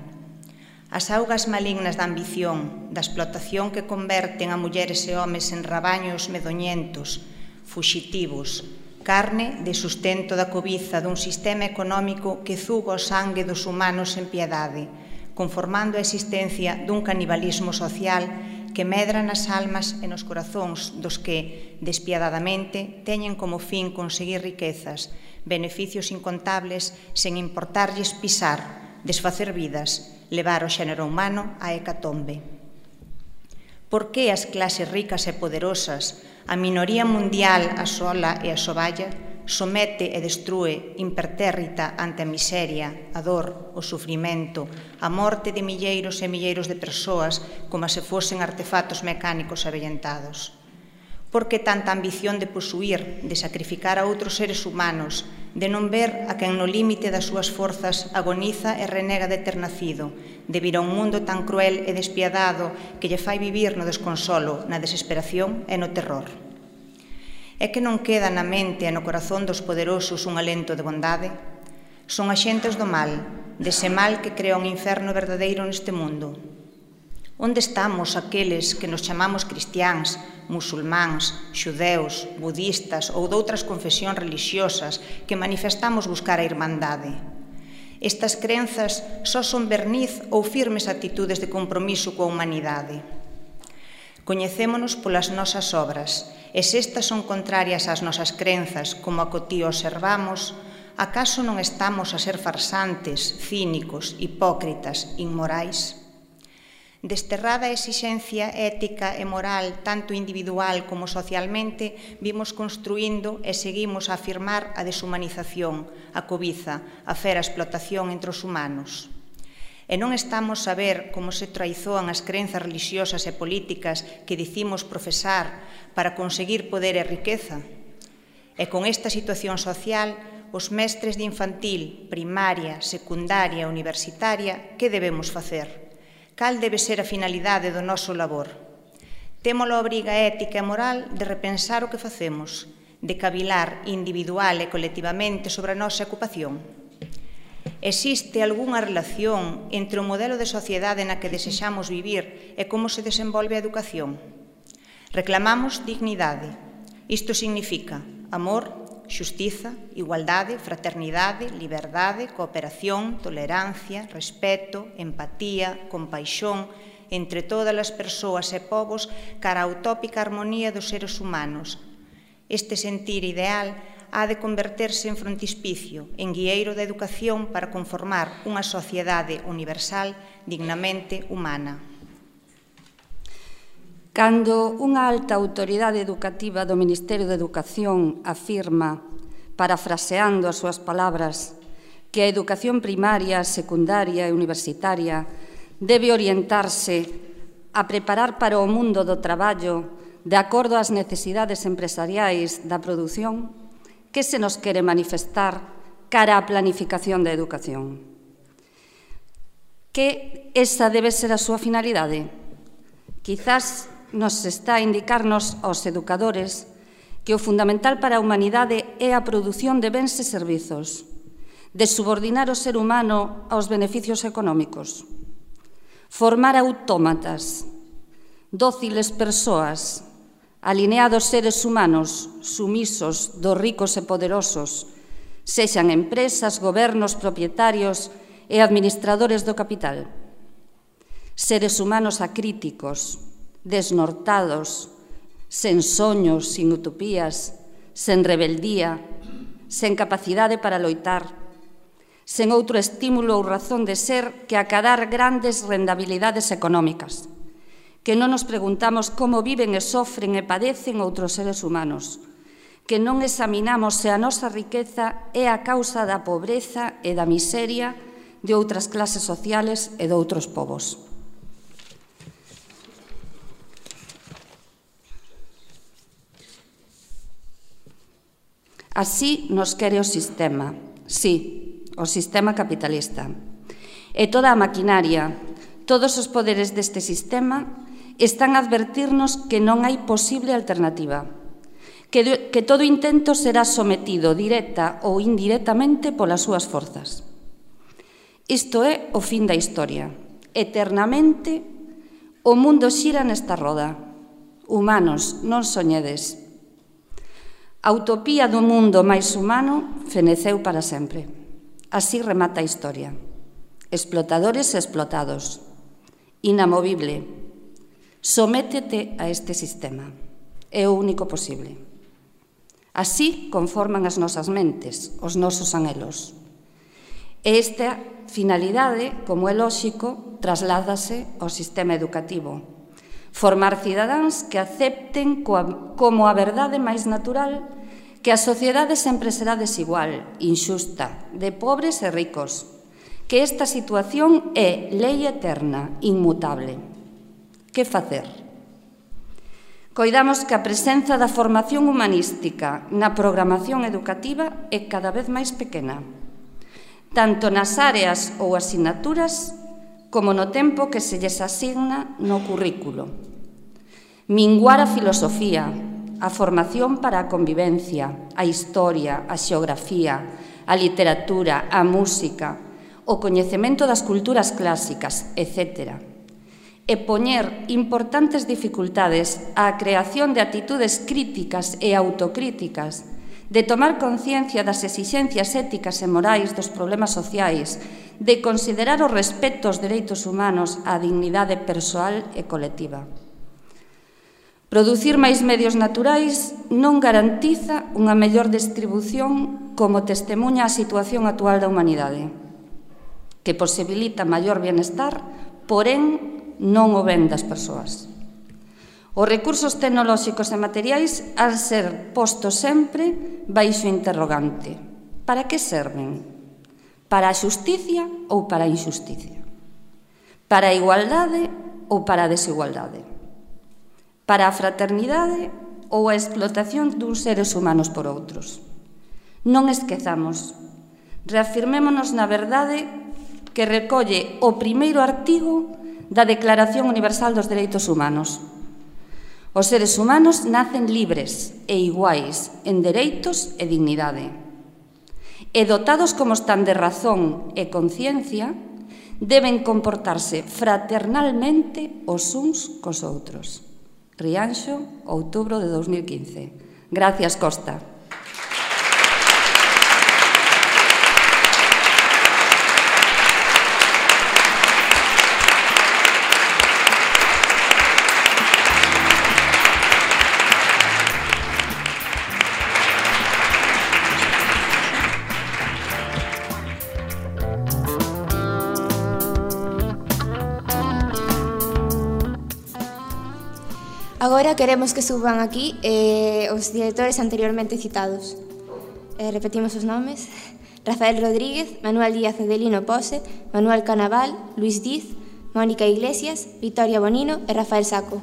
As augas malignas da ambición, da explotación que converten a mulleres e homes en rabaños medoñentos, fuxitivos, carne de sustento da cobiza dun sistema económico que zuga o sangue dos humanos en piedade, conformando a existencia dun canibalismo social que medra nas almas e nos corazóns dos que, despiadadamente, teñen como fin conseguir riquezas, beneficios incontables, sen importarlles pisar, desfacer vidas, levar o xénero humano á hecatombe. Por que as clases ricas e poderosas, a minoría mundial asola e asoballa, somete e destrúe impertérrita ante a miseria, a dor, o sufrimento, a morte de milleiros e milleiros de persoas como se fosen artefactos mecánicos avellentados? Por que tanta ambición de posuir, de sacrificar a outros seres humanos, de non ver a quen no límite das súas forzas agoniza e renega de ter nacido, de vir a un mundo tan cruel e despiadado que lle fai vivir no desconsolo, na desesperación e no terror? É que non queda na mente e no corazón dos poderosos un alento de bondade? Son axentes do mal, dese mal que crea un inferno verdadeiro neste mundo. Onde estamos aqueles que nos chamamos cristiáns, musulmáns, xudeus, budistas ou doutras confesións religiosas que manifestamos buscar a irmandade? Estas crenzas só son verniz ou firmes actitudes de compromiso coa humanidade? Coñecémonos polas nosas obras, e se estas son contrarias ás nosas crenzas, como a que ti observamos, acaso non estamos a ser farsantes, cínicos, hipócritas, inmorais? Desterrada a exixencia ética e moral, tanto individual como socialmente, vimos construindo e seguimos a afirmar a deshumanización, a cobiza, a fera explotación entre os humanos. E non estamos a ver como se traizoan as crenzas religiosas e políticas que dicimos profesar para conseguir poder e riqueza? E con esta situación social, os mestres de infantil, primaria, secundaria e universitaria, que debemos facer? Cal debe ser a finalidade do noso labor? Temos a obriga ética e moral de repensar o que facemos, de cavilar individual e colectivamente sobre a nosa ocupación. Existe algunha relación entre o modelo de sociedade na que desexamos vivir e como se desenvolve a educación? Reclamamos dignidade. Isto significa amor, xustiza, igualdade, fraternidade, liberdade, cooperación, tolerancia, respeto, empatía, compaixón entre todas as persoas e povos cara á utópica armonía dos seres humanos. Este sentir ideal ha de converterse en frontispicio, en guieiro da educación para conformar unha sociedade universal dignamente humana. Cando unha alta autoridade educativa do Ministerio de Educación afirma, parafraseando as súas palabras, que a educación primaria, secundaria e universitaria debe orientarse a preparar para o mundo do traballo de acordo ás necesidades empresariais da produción, que se nos quere manifestar cara á planificación da educación? Que esa debe ser a súa finalidade? Quizás nos está a indicarnos aos educadores que o fundamental para a humanidade é a produción de bens e servizos, de subordinar o ser humano aos beneficios económicos, formar autómatas, dóciles persoas, alineados seres humanos, sumisos dos ricos e poderosos, sexan empresas, gobernos, propietarios e administradores do capital. Seres humanos acríticos, desnortados, sen soños, sin utopías, sen rebeldía, sen capacidade para loitar, sen outro estímulo ou razón de ser que acadar grandes rendabilidades económicas, que non nos preguntamos como viven e sofren e padecen outros seres humanos, que non examinamos se a nosa riqueza é a causa da pobreza e da miseria de outras clases sociales e de outros povos. Así nos quere o sistema, sí, o sistema capitalista. E toda a maquinaria, todos os poderes deste sistema están a advertirnos que non hai posible alternativa, que, de, que todo intento será sometido directa ou indirectamente polas súas forzas. Isto é o fin da historia. Eternamente o mundo xira nesta roda. Humanos, non soñedes. A utopía do mundo máis humano feneceu para sempre. Así remata a historia. Explotadores e explotados. Inamovible. Sométete a este sistema. É o único posible. Así conforman as nosas mentes, os nosos anhelos. E esta finalidade, como é lóxico, trasládase ao sistema educativo. Formar cidadáns que acepten como a verdade máis natural que a sociedade sempre será desigual, injusta, de pobres e ricos, que esta situación é lei eterna, inmutable. Que facer? Coidamos que a presenza da formación humanística na programación educativa é cada vez máis pequena, tanto nas áreas ou asignaturas como no tempo que se lles asigna no currículo. Minguar a filosofía, a formación para a convivencia, a historia, a xeografía, a literatura, a música, o coñecemento das culturas clásicas, etcétera. E poñer importantes dificultades á creación de actitudes críticas e autocríticas, de tomar conciencia das exixencias éticas e morais dos problemas sociais, de considerar o respeto aos dereitos humanos, á dignidade persoal e colectiva. Producir máis medios naturais non garantiza unha mellor distribución como testemunha a situación actual da humanidade, que posibilita maior bienestar, porén non o ben das persoas. Os recursos tecnolóxicos e materiais han ser postos sempre baixo interrogante. Para que serven? Para a xusticia ou para a injusticia? Para a igualdade ou para a desigualdade? Para a fraternidade ou a explotación duns seres humanos por outros? Non esquezamos, reafirmémonos na verdade que recolle o primeiro artigo da Declaración Universal dos Dereitos Humanos. Os seres humanos nacen libres e iguais en dereitos e dignidade. E dotados como están de razón e conciencia, deben comportarse fraternalmente os uns cos outros. Rianxo, outubro de dos mil quince. Gracias, Costa. Agora queremos que suban aquí eh, os directores anteriormente citados. Eh, repetimos os nomes. Rafael Rodríguez, Manuel Díaz Adelino Pose, Manuel Canaval, Luis Diz, Mónica Iglesias, Victoria Bonino e Rafael Saco.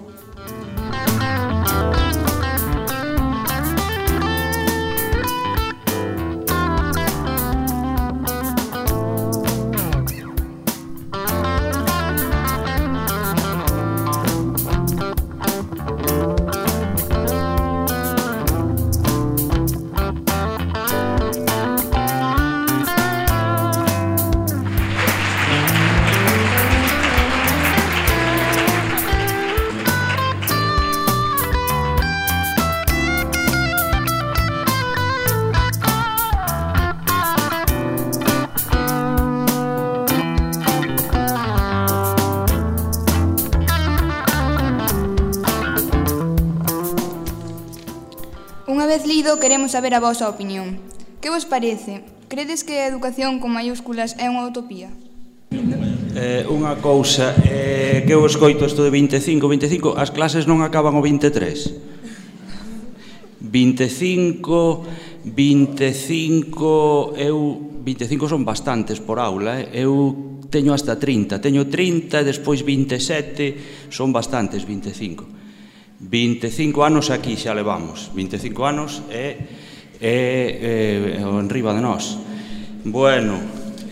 Queremos saber a vosa opinión. Que vos parece? Credes que a educación con maiúsculas é unha utopía? Eh, unha cousa eh, que eu escoito isto de vinte e cinco, vinte e cinco, as clases non acaban o vinte e tres. vinte e cinco, vinte e cinco, eu, vinte e cinco son bastantes por aula, eh? Eu teño hasta trinta, teño trinta e despois vinte e sete, son bastantes vinte e cinco. vinte e cinco anos aquí xa levamos, vinte e cinco anos é, é, é enriba de nós. Bueno,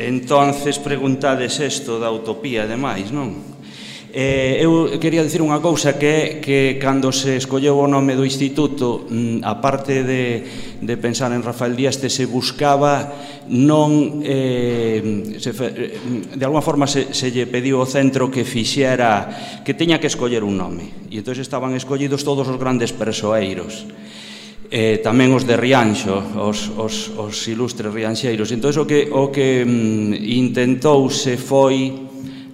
entonces preguntades isto da utopía e demais, non? Eh, eu quería dicir unha cousa que é que cando se escolleu o nome do instituto, a parte de, de pensar en Rafael Díaz, se buscaba non eh, se, de alguna forma se, se lle pediu ao centro que fixera, que teña que escoller un nome, e entón estaban escollidos todos os grandes persoeiros, eh, tamén os de Rianxo, os, os, os ilustres rianxeiros. Entón o que, o que mm, intentouse foi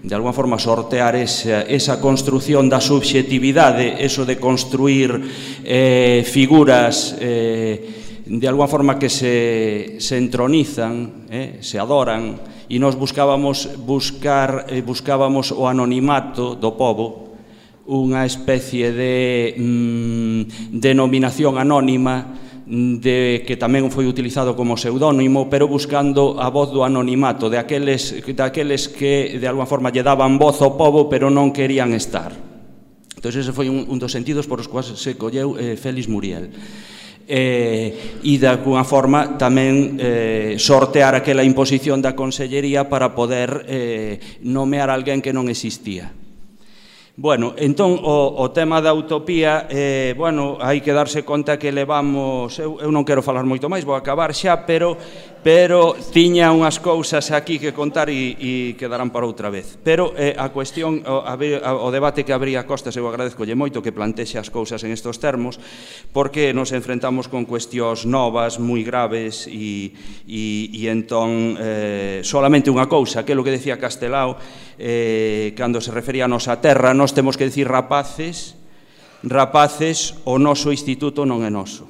de alguna forma sortear esa, esa construción da subxetividade, eso de construir eh, figuras eh, de alguna forma que se, se entronizan, eh, se adoran, e nos buscábamos buscar eh, buscábamos o anonimato do pobo, unha especie de mm, denominación anónima de que tamén foi utilizado como pseudónimo, pero buscando a voz do anonimato, de aqueles, daqueles que de alguna forma lle daban voz ao pobo, pero non querían estar. Entón, ese foi un, un dos sentidos por os quais se colleu eh, Félix Muriel. Eh, e de alguna forma tamén eh, sortear aquela imposición da Consellería para poder eh, nomear alguén que non existía. Bueno, entón, o, o tema da utopía, eh, bueno, hai que darse conta que levamos, eu, eu non quero falar moito máis, vou acabar xa, pero, pero tiña unhas cousas aquí que contar e, e quedarán para outra vez. Pero eh, a cuestión, o, a, o debate que abría Costas, eu agradezcolle moito que plantexe as cousas en estos termos, porque nos enfrentamos con cuestións novas, moi graves, e, e, e entón, eh, solamente unha cousa, que é o que decía Castelao, eh, cando se refería a nosa terra, nós temos que dicir rapaces, rapaces, o noso instituto non é noso.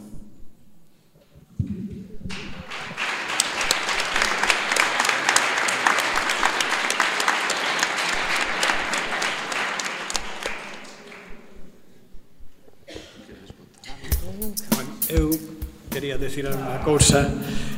Eu quería decir unha cousa.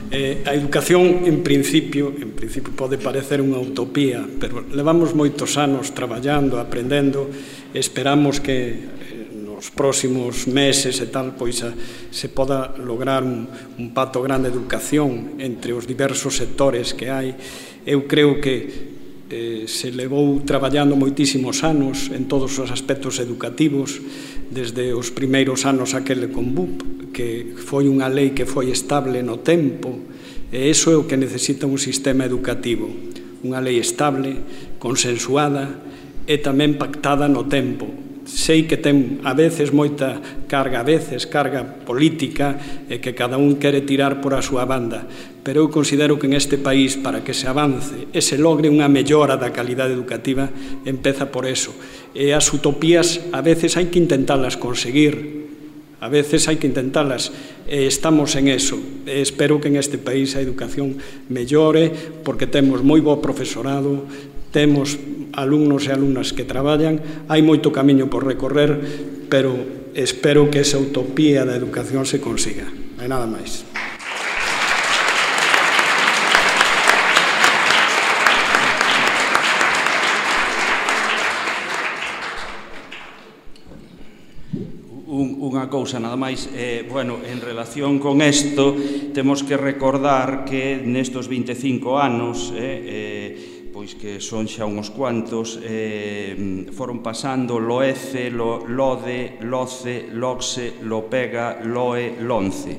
Eh, a educación, en principio, en principio pode parecer unha utopía, pero levamos moitos anos traballando, aprendendo, esperamos que eh, nos próximos meses e tal, pois a, se poda lograr un, un pacto grande de educación entre os diversos sectores que hai. Eu creo que eh, se levou traballando moitísimos anos en todos os aspectos educativos, desde os primeiros anos aquele con B U P, que foi unha lei que foi estable no tempo, e iso é o que necesita un sistema educativo, unha lei estable, consensuada e tamén pactada no tempo. Sei que ten a veces moita carga, a veces carga política, e que cada un quere tirar por a súa banda, pero eu considero que en este país, para que se avance e se logre unha mellora da calidade educativa, empeza por eso. E as utopías a veces hai que intentarlas conseguir, a veces hai que intentarlas, e estamos en eso. E espero que en este país a educación mellore, porque temos moi bo profesorado, temos alumnos e alumnas que traballan, hai moito camiño por recorrer, pero espero que esa utopía da educación se consiga. Non hai nada máis. unha cousa nada máis, eh, bueno, en relación con isto, temos que recordar que nestos vinte e cinco anos, eh, eh, pois que son xa uns cuantos, eh, foron pasando Loece, lo, Lode, Loce, Loxe, Lopega, Loe, Lonce,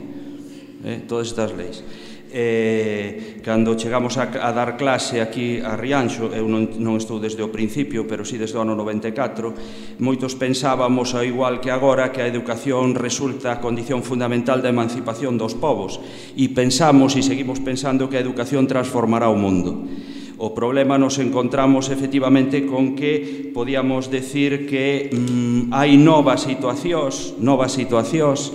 eh, todas estas leis. Eh, cando chegamos a, a dar clase aquí a Rianxo, eu non, non estou desde o principio, pero sí desde o ano noventa e catro, moitos pensábamos, ao igual que agora, que a educación resulta a condición fundamental da emancipación dos povos, e pensamos e seguimos pensando que a educación transformará o mundo. O problema nos encontramos efectivamente con que podíamos decir que mm, hai novas situacións, novas situacións,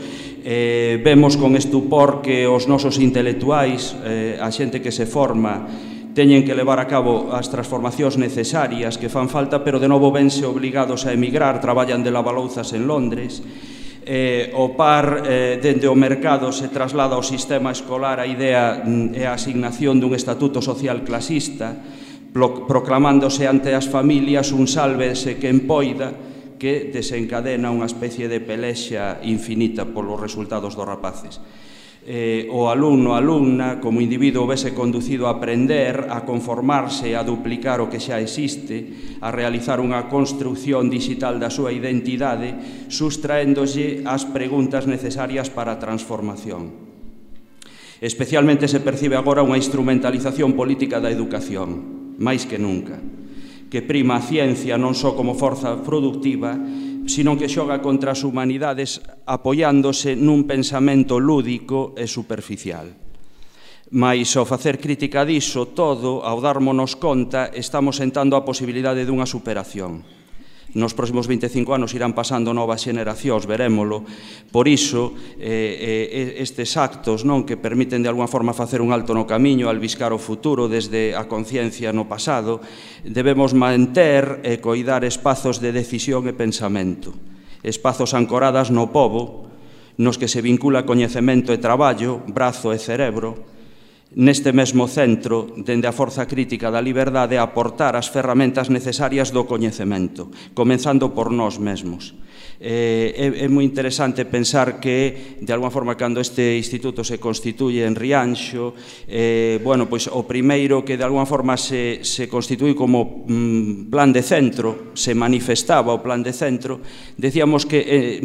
eh, vemos con estupor que os nosos intelectuais, eh, a xente que se forma, teñen que levar a cabo as transformacións necesarias que fan falta, pero de novo vense obligados a emigrar, traballan de lavalouzas en Londres. Eh, o par eh, dende o mercado se traslada ao sistema escolar a idea mm, e a asignación dun estatuto social clasista, pro, proclamándose ante as familias un sálvese quen poida, que desencadena unha especie de pelexa infinita polos resultados dos rapaces. Eh, o alumno, alumna, como individuo vese conducido a aprender, a conformarse, a duplicar o que xa existe, a realizar unha construcción digital da súa identidade, sustraéndose as preguntas necesarias para a transformación. Especialmente se percibe agora unha instrumentalización política da educación, máis que nunca, que prima a ciencia non só como forza productiva, sino que xoga contra as humanidades apoiándose nun pensamento lúdico e superficial. Mais ao facer crítica diso todo, ao darmonos conta, estamos sentando a posibilidade dunha superación. Nos próximos vinte e cinco anos irán pasando novas xeneracións, verémolo. Por iso, eh, estes actos non que permiten de alguna forma facer un alto no camiño, albiscar o futuro desde a conciencia no pasado, debemos manter e coidar espazos de decisión e pensamento, espazos ancoradas no pobo, nos que se vincula coñecemento e traballo, brazo e cerebro, neste mesmo centro, dende a forza crítica da liberdade, aportar as ferramentas necesarias do coñecemento, comenzando por nós mesmos. Eh, é, é moi interesante pensar que, de alguma forma, cando este instituto se constituye en Rianxo, eh, bueno, pois o primeiro que de alguma forma se, se constituí como mm, plan de centro, se manifestaba o plan de centro, decíamos que eh,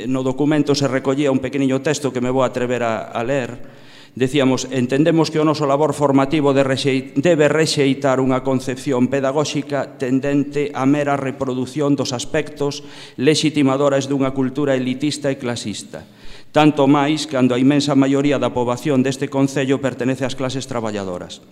no documento se recollía un pequeniño texto que me vou atrever a, a ler. Decíamos, entendemos que o noso labor formativo debe rexeitar unha concepción pedagóxica tendente a mera reproducción dos aspectos legitimadores dunha cultura elitista e clasista, tanto máis cando a inmensa maioría da poboación deste concello pertenece ás clases traballadoras.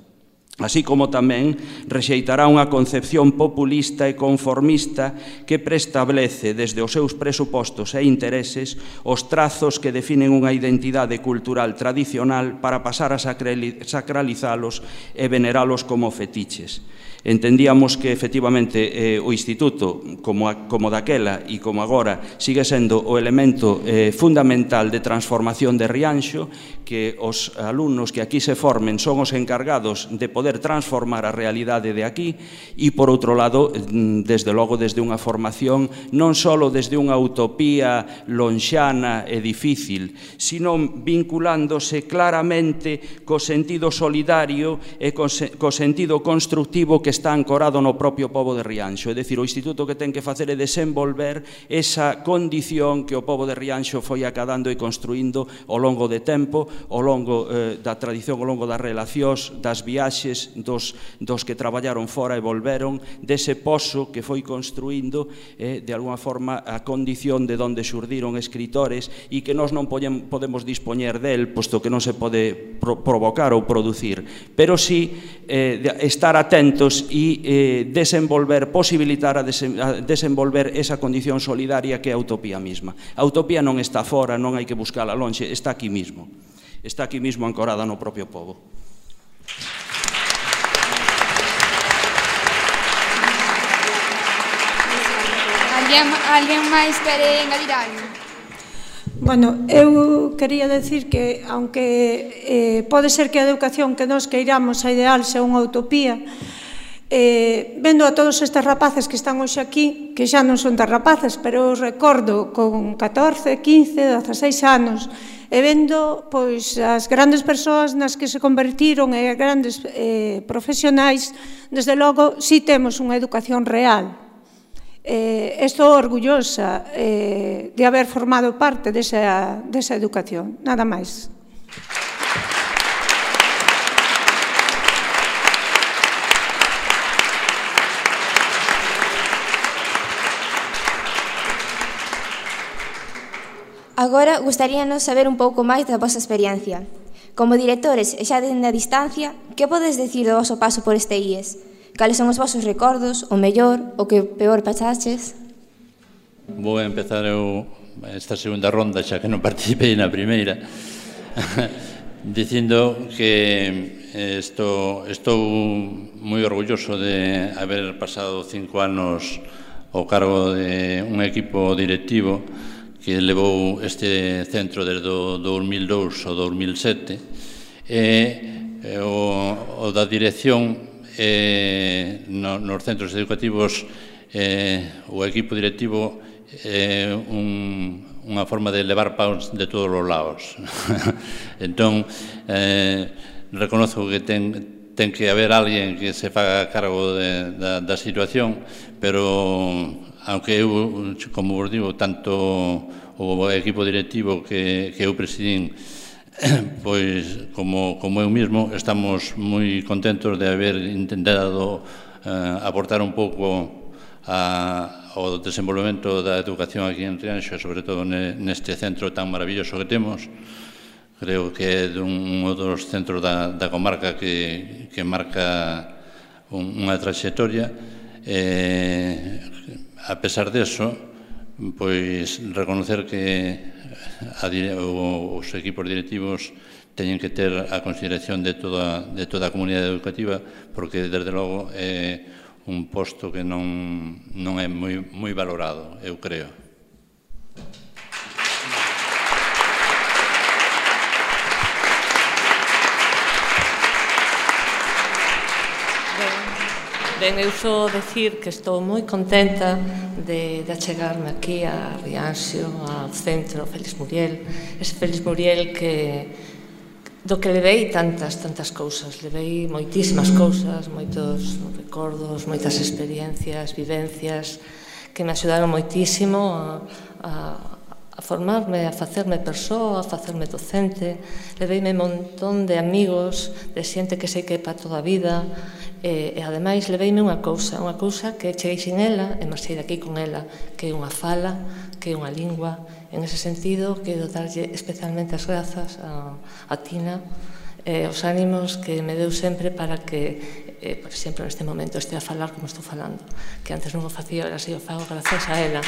Así como tamén rexeitará unha concepción populista e conformista que preestablece desde os seus presupostos e intereses os trazos que definen unha identidade cultural tradicional para pasar a sacralizalos e veneralos como fetiches. Entendíamos que, efectivamente, eh, o Instituto, como, a, como daquela e como agora, sigue sendo o elemento eh, fundamental de transformación de Rianxo, que os alumnos que aquí se formen son os encargados de poder transformar a realidade de aquí e, por outro lado, desde logo, desde unha formación non só desde unha utopía lonxana e difícil, sino vinculándose claramente co sentido solidario e co, co sentido constructivo que está ancorado no propio pobo de Rianxo. É dicir, o Instituto que ten que facer é desenvolver esa condición que o pobo de Rianxo foi acadando e construindo ao longo de tempo, ao longo eh, da tradición, ao longo das relacións, das viaxes, dos, dos que traballaron fora e volveron, dese pozo que foi construindo, eh, de alguna forma, a condición de onde xurdiron escritores e que nós non podemos dispoñer del, posto que non se pode pro provocar ou producir, pero sí eh, de estar atentos e eh, desenvolver, posibilitar a, desen a desenvolver esa condición solidaria que é a utopía mesma. A utopía non está fora, non hai que buscala lonxe, está aquí mismo. Está aquí mismo ancorada no propio pobo. Alguén, alguén máis quere engadir algo? Bueno, eu quería decir que, aunque eh, pode ser que a educación que nos queiramos a ideal sea unha utopía, Eh, vendo a todos estes rapaces que están hoxe aquí, que xa non son tan rapaces, pero os recordo con catorce, quince, dezaseis anos, e vendo pois, as grandes persoas nas que se convertiron e grandes eh, profesionais, desde logo, si temos unha educación real. Eh, estou orgullosa eh, de haber formado parte desa, desa educación. Nada máis. Agora, gustaríanos saber un pouco máis da vosa experiencia. Como directores e xa dende a distancia, que podes decir do voso paso por este I E S? Cales son os vosos recordos, o mellor, o que peor pasaches? Vou empezar eu esta segunda ronda, xa que non participei na primeira, dicindo que estou, estou moi orgulloso de haber pasado cinco anos ao cargo de un equipo directivo que levou este centro desde o dos mil dous ao dos mil sete, e o, o da dirección eh, no, nos centros educativos, eh, o equipo directivo é eh, un, unha forma de levar paus de todos os lados. Entón, eh, reconozco que ten, ten que haber alguén que se faga cargo de, da, da situación, pero aunque eu, como vos digo, tanto o equipo directivo que, que eu presidín, pois como, como eu mesmo, estamos moi contentos de haber intentado eh, aportar un pouco a, ao desenvolvemento da educación aquí en Rianxo, sobre todo neste centro tan maravilloso que temos. Creo que é un dos centros da, da comarca que, que marca un, unha trayectoria. Eh, a pesar deso, pois reconocer que a, os equipos directivos teñen que ter a consideración de toda, de toda a comunidade educativa, porque desde logo é un posto que non, non é moi, moi valorado, eu creo. Ben, eu só decir que estou moi contenta de, de achegarme aquí a Rianxo, ao centro Félix Muriel, ese Félix Muriel que do que levei tantas, tantas cousas, levei moitísimas cousas, moitos recordos, moitas experiencias, vivencias, que me axudaron moitísimo a, a, a formarme, a facerme persoa, a facerme docente, leveime un montón de amigos, de xente que sei que é para toda a vida, e, e ademais leveime unha cousa, unha cousa que cheguei sin ela e marchei daqui con ela, que é unha fala, que é unha lingua. En ese sentido, quero darlle especialmente as grazas a, a Tina e os ánimos que me deu sempre para que, eh, por exemplo, neste momento estea a falar como estou falando, que antes non o facía, ahora si o fago grazas a ela.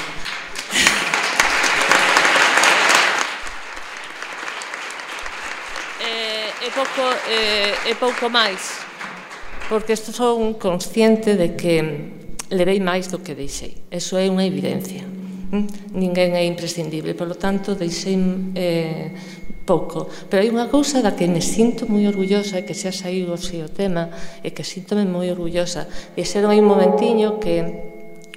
E pouco, eh, e pouco máis, porque estou son consciente de que levei máis do que deixei. Eso é unha evidencia. Ninguén é imprescindible, por lo tanto, deixei eh, pouco. Pero hai unha cousa da que me sinto moi orgullosa e que xa saiu así o tema e que síntome moi orgullosa. E xeron aí un momentiño que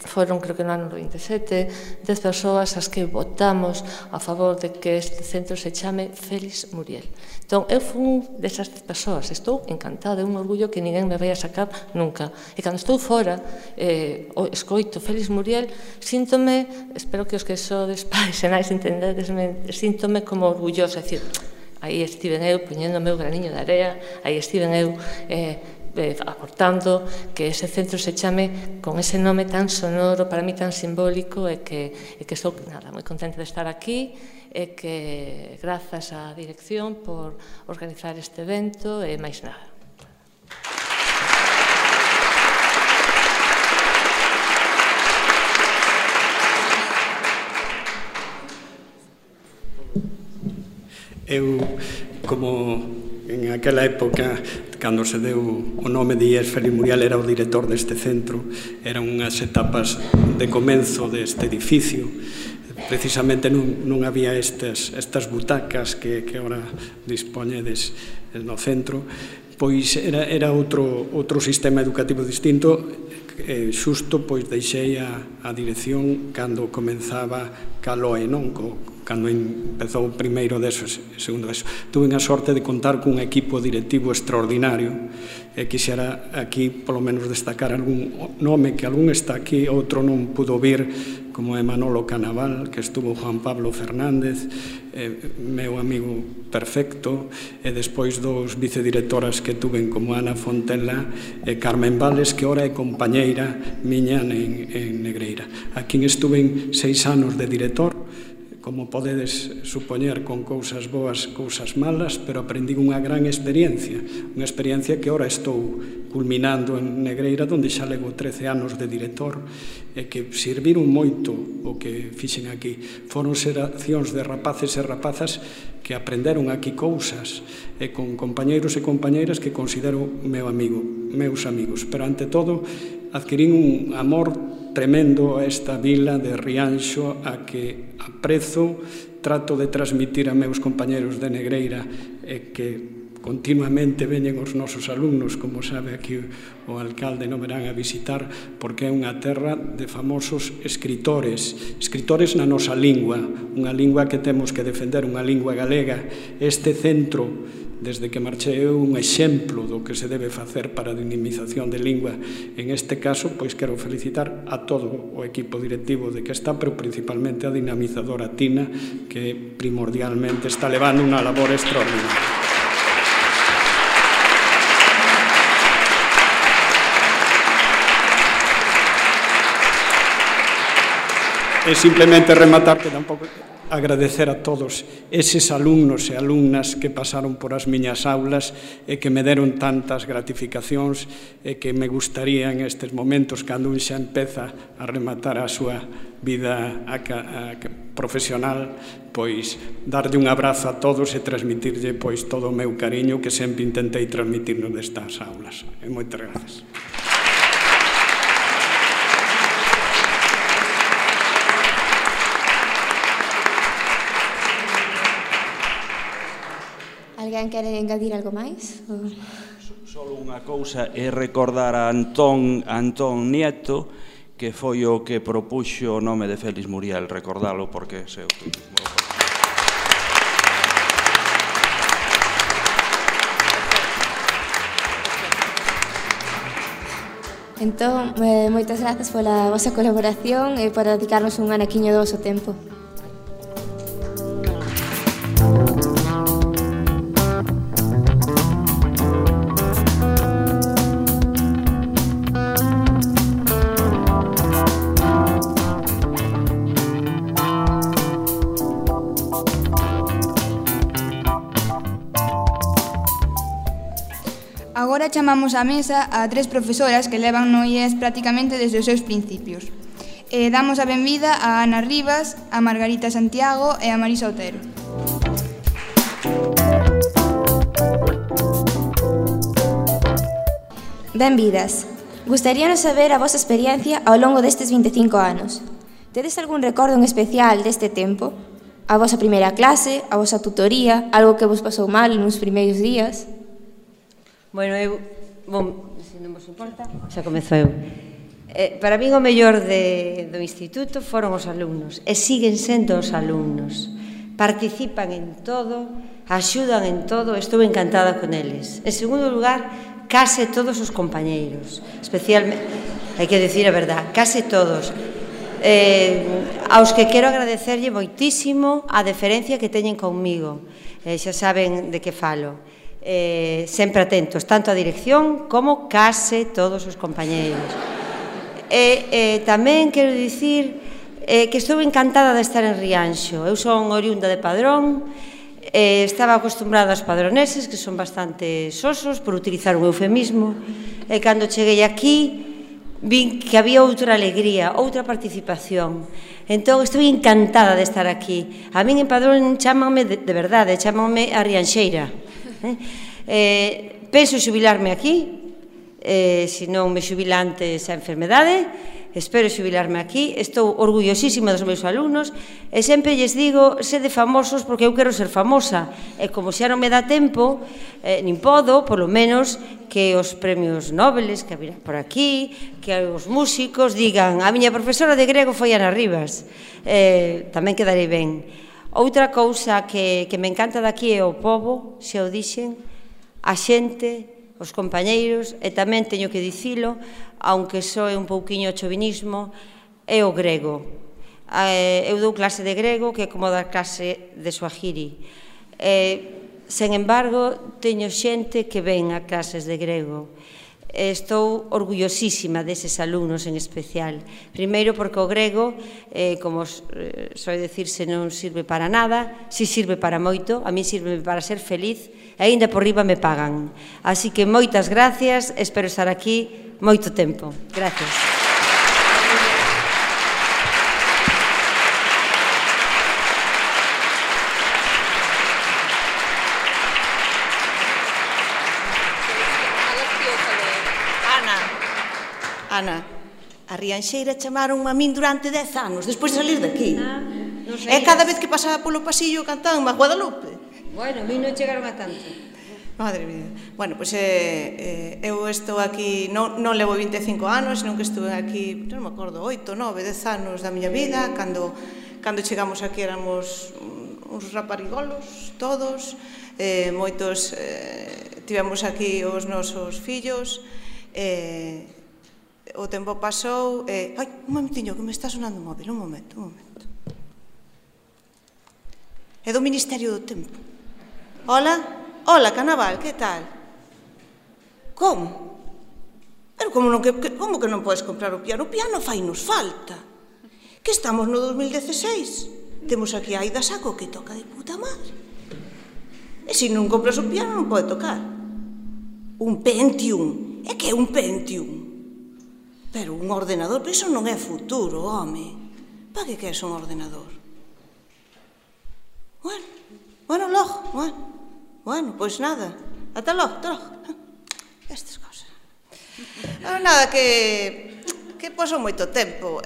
foron, creo que no ano vinte e sete, dez persoas as que votamos a favor de que este centro se chame Félix Muriel. Entón, eu fui desas dez persoas, estou encantada, é un orgullo que ninguén me vai a sacar nunca. E cando estou fora, eh, escoito Félix Muriel, síntome, espero que os que sodes pais e nais entendedesme, síntome como orgullosa, é dicir, aí estiven eu poñendo o meu graniño de area, aí estiven eu eh, aportando que ese centro se chame con ese nome tan sonoro, para mí tan simbólico, e que, e que estou nada, moi contenta de estar aquí, e que grazas á dirección por organizar este evento e máis nada. Eu, como en aquela época, cando se deu o nome de I E S Félix Muriel, era o director deste centro, eran unhas etapas de comenzo deste edificio. Precisamente non, non había estas, estas butacas que, que agora dispoñedes no centro, pois era, era outro, outro sistema educativo distinto. Eh, xusto pois deixei a, a dirección cando comenzaba Caloe, non? Co, cando empezou o primeiro deso, segundo deso. Tuve a sorte de contar cun equipo directivo extraordinario e quixera aquí polo menos destacar algún nome que algún está aquí, outro non pudo vir, como é Manolo Canaval, que estuvo Juan Pablo Fernández, eh, meu amigo perfecto, e despois dos vicedirectoras que tuven como Ana Fontela e Carmen Vales, que ora é compañeira miña en, en Negreira. Aquí estuven seis anos de director, como podedes supoñer, con cousas boas, cousas malas, pero aprendí unha gran experiencia, unha experiencia que ora estou culminando en Negreira, onde xa levo trece anos de director, e que serviron moito o que fixen aquí. Foron xeracións de rapaces e rapazas que aprenderon aquí cousas, e con compañeiros e compañeiras que considero meu amigo, meus amigos, pero ante todo adquirín un amor tremendo a esta vila de Rianxo, a que aprezo, trato de transmitir a meus compañeros de Negreira, e que continuamente veñen os nosos alumnos, como sabe aquí o alcalde, non verán a visitar, porque é unha terra de famosos escritores, escritores na nosa lingua, unha lingua que temos que defender, unha lingua galega. Este centro, desde que marchei, é un exemplo do que se debe facer para a dinamización de lingua. En este caso, pois quero felicitar a todo o equipo directivo de que está, pero principalmente a dinamizadora Tina, que primordialmente está levando unha labor extraordinaria. E simplemente rematar que tampouco agradecer a todos eses alumnos e alumnas que pasaron por as miñas aulas e que me deron tantas gratificacións e que me gustaría en estes momentos, cando un xa empeza a rematar a súa vida profesional, pois darlle un abrazo a todos e transmitirlle pois todo o meu cariño que sempre intentei transmitirnos destas aulas. E moitas grazas. Alguén quere engadir algo máis? Só unha cousa é recordar a Antón, Antón Nieto, que foi o que propuxo o nome de Félix Muriel, recordalo porque se o turismo. Entón, eh, moitas grazas pola vosa colaboración e por dedicarnos un anaquiño do voso tempo. Agora chamamos á mesa a tres profesoras que levan no I E S prácticamente desde os seus principios. E damos a benvida a Ana Rivas, a Margarita Santiago e a Marisa Otero. Benvidas. Gustaríanos saber a vosa experiencia ao longo destes vinte e cinco anos. Tedes algún recordo en especial deste tempo? A vosa primeira clase, a vosa tutoría, algo que vos pasou mal nos primeiros días? Bueno, eu, bom, se non vos importa, xa comezo eu. Eh, para min o mellor de, do instituto foron os alumnos, e siguen sendo os alumnos. Participan en todo, axudan en todo, estou encantada con eles. En segundo lugar, case todos os compañeiros, especialmente, hai que decir a verdad, case todos. Eh, aos que quero agradecerlle moitísimo a deferencia que teñen conmigo, eh, xa saben de que falo. Eh, sempre atentos, tanto a dirección como case todos os compañeiros. E eh, tamén quero dicir eh, que estou encantada de estar en Rianxo. Eu son oriunda de Padrón, eh, estaba acostumbrada aos padroneses, que son bastante sosos, por utilizar un eufemismo, e cando cheguei aquí vin que había outra alegría, outra participación. Entón, estou encantada de estar aquí. A min en Padrón chámanme, de, de verdade, chámanme a Rianxeira. Eh, eh, penso xubilarme aquí, eh, se non me xubila antes a enfermedade, espero xubilarme aquí, estou orgullosísima dos meus alumnos e sempre lles digo, sede famosos porque eu quero ser famosa e como xa non me dá tempo, eh, nin podo, polo menos que os premios Nobeles que haberá por aquí, que os músicos digan a miña profesora de grego foi Ana Rivas, eh, tamén quedarei ben. Outra cousa que, que me encanta daqui é o pobo, xa o dixen, a xente, os compañeiros, e tamén teño que dicilo, aunque soe un pouquiño chovinismo, é o grego. Eu dou clase de grego que é como dar clase de Swahili. Sen embargo, teño xente que ven a clases de grego. Estou orgullosísima deses alumnos en especial. Primeiro porque o grego, como soe dicirse, non sirve para nada, si sirve para moito, a mí sirve para ser feliz, e aínda por riba me pagan. Así que moitas gracias, espero estar aquí moito tempo. Gracias. Ana, Ana, a Rianxeira chamaron a min durante dez anos, despois de salir daqui. E cada vez que pasaba polo pasillo cantaban a Guadalupe. Bueno, a mí non chegaron a tanto. Madre mía. Bueno, pois eu estou aquí, non levo vinte e cinco anos, senón que estuve aquí, non me acordo, oito, nove, dez anos da miña vida, cando chegamos aquí éramos uns raparigolos, todos, moitos tivemos aquí os nosos fillos, o tempo pasou, ai, un momentiño, que me está sonando o móvil, un momento, un momento. É do Ministerio do Tempo. Hola? Hola, Canaval, que tal? Como? Pero como, non, que, como que non podes comprar o piano? O piano fainos falta. Que estamos no dos mil dieciséis. Temos aquí a Aida Saco que toca de puta madre. E se non compras o piano non pode tocar. Un Pentium. É que é un Pentium? Pero un ordenador, pero iso non é futuro, home. Para que queres un ordenador? Bueno, bueno, logo, bueno. Bueno, pois nada, ata logo, ata logo. Estas cosas. Nada, que que pasou moito tempo.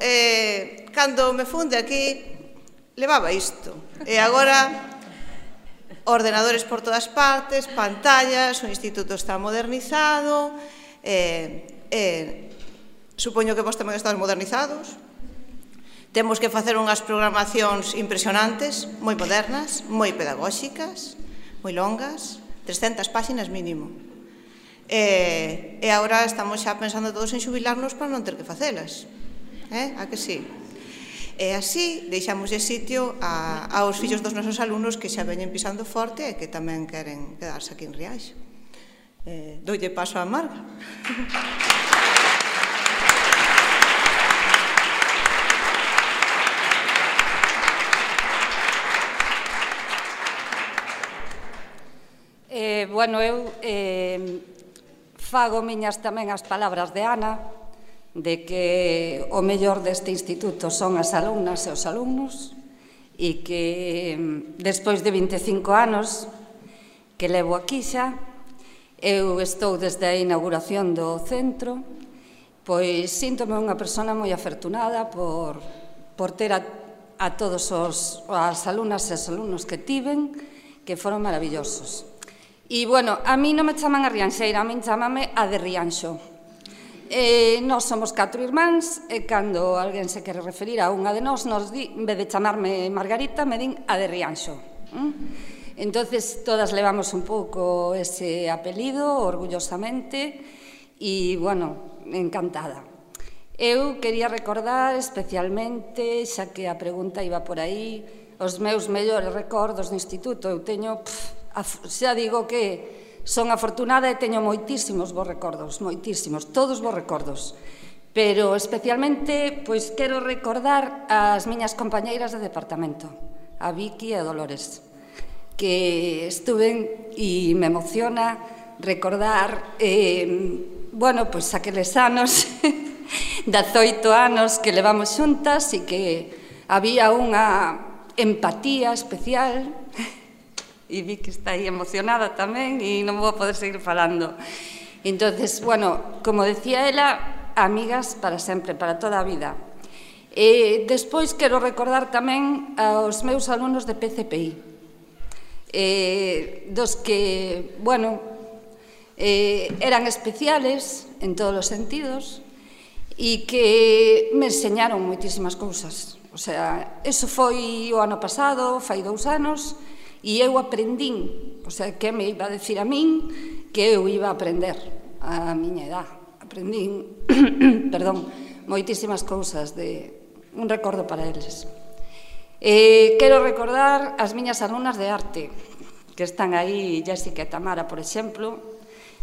Cando me funde aquí, levaba isto. E agora, ordenadores por todas partes, pantallas, o instituto está modernizado, supoño que vos tamén estades modernizados. Temos que facer unhas programacións impresionantes, moi modernas, moi pedagóxicas, moi longas, trescentas páxinas mínimo. E agora estamos xa pensando todos en xubilarnos para non ter que facelas. A que sí? E así deixamos de sitio aos fillos dos nosos alumnos que xa veñen pisando forte e que tamén queren quedarse aquí en Rianxo. Doulle paso a Marga. Eh, bueno, eu eh, fago miñas tamén as palabras de Ana, de que o mellor deste instituto son as alumnas e os alumnos, e que despois de vinte e cinco anos que levo aquí xa, eu estou desde a inauguración do centro, pois síntome unha persona moi afortunada por, por ter a, a todos os, as alumnas e os alumnos que tiven, que foron maravillosos. E, bueno, a mí non me chaman a Rianxeira, a mí chamame a de Rianxo. Nós somos catro irmáns e cando alguén se quere referir a unha de nós, en vez de chamarme Margarita, me din a de Rianxo. Entonces, todas levamos un pouco ese apelido, orgullosamente, e, bueno, encantada. Eu quería recordar especialmente, xa que a pregunta iba por aí, os meus mellores recordos do instituto. Eu teño... xa digo que son afortunada e teño moitísimos bons recordos, moitísimos, todos bons recordos. Pero especialmente, pois, quero recordar as miñas compañeiras de departamento, a Vicky e a Dolores, que estuven e me emociona recordar, bueno, pois, aqueles anos, dezoito anos que levamos xuntas e que había unha empatía especial. E vi que está aí emocionada tamén e non vou poder seguir falando. Entonces, bueno, como decía ela, amigas para sempre, para toda a vida. E despois quero recordar tamén aos meus alumnos de P C P I, eh, dos que, bueno, eh, eran especiales en todos os sentidos e que me enseñaron moitísimas cousas. O sea, eso foi o ano pasado, fai dous anos, e eu aprendín, o sea, que me iba a decir a min que eu iba a aprender a miña edad. Aprendín, perdón, moitísimas cousas, de un recordo para eles. Eh, quero recordar as miñas alumnas de arte, que están aí, Jessica e Tamara, por exemplo,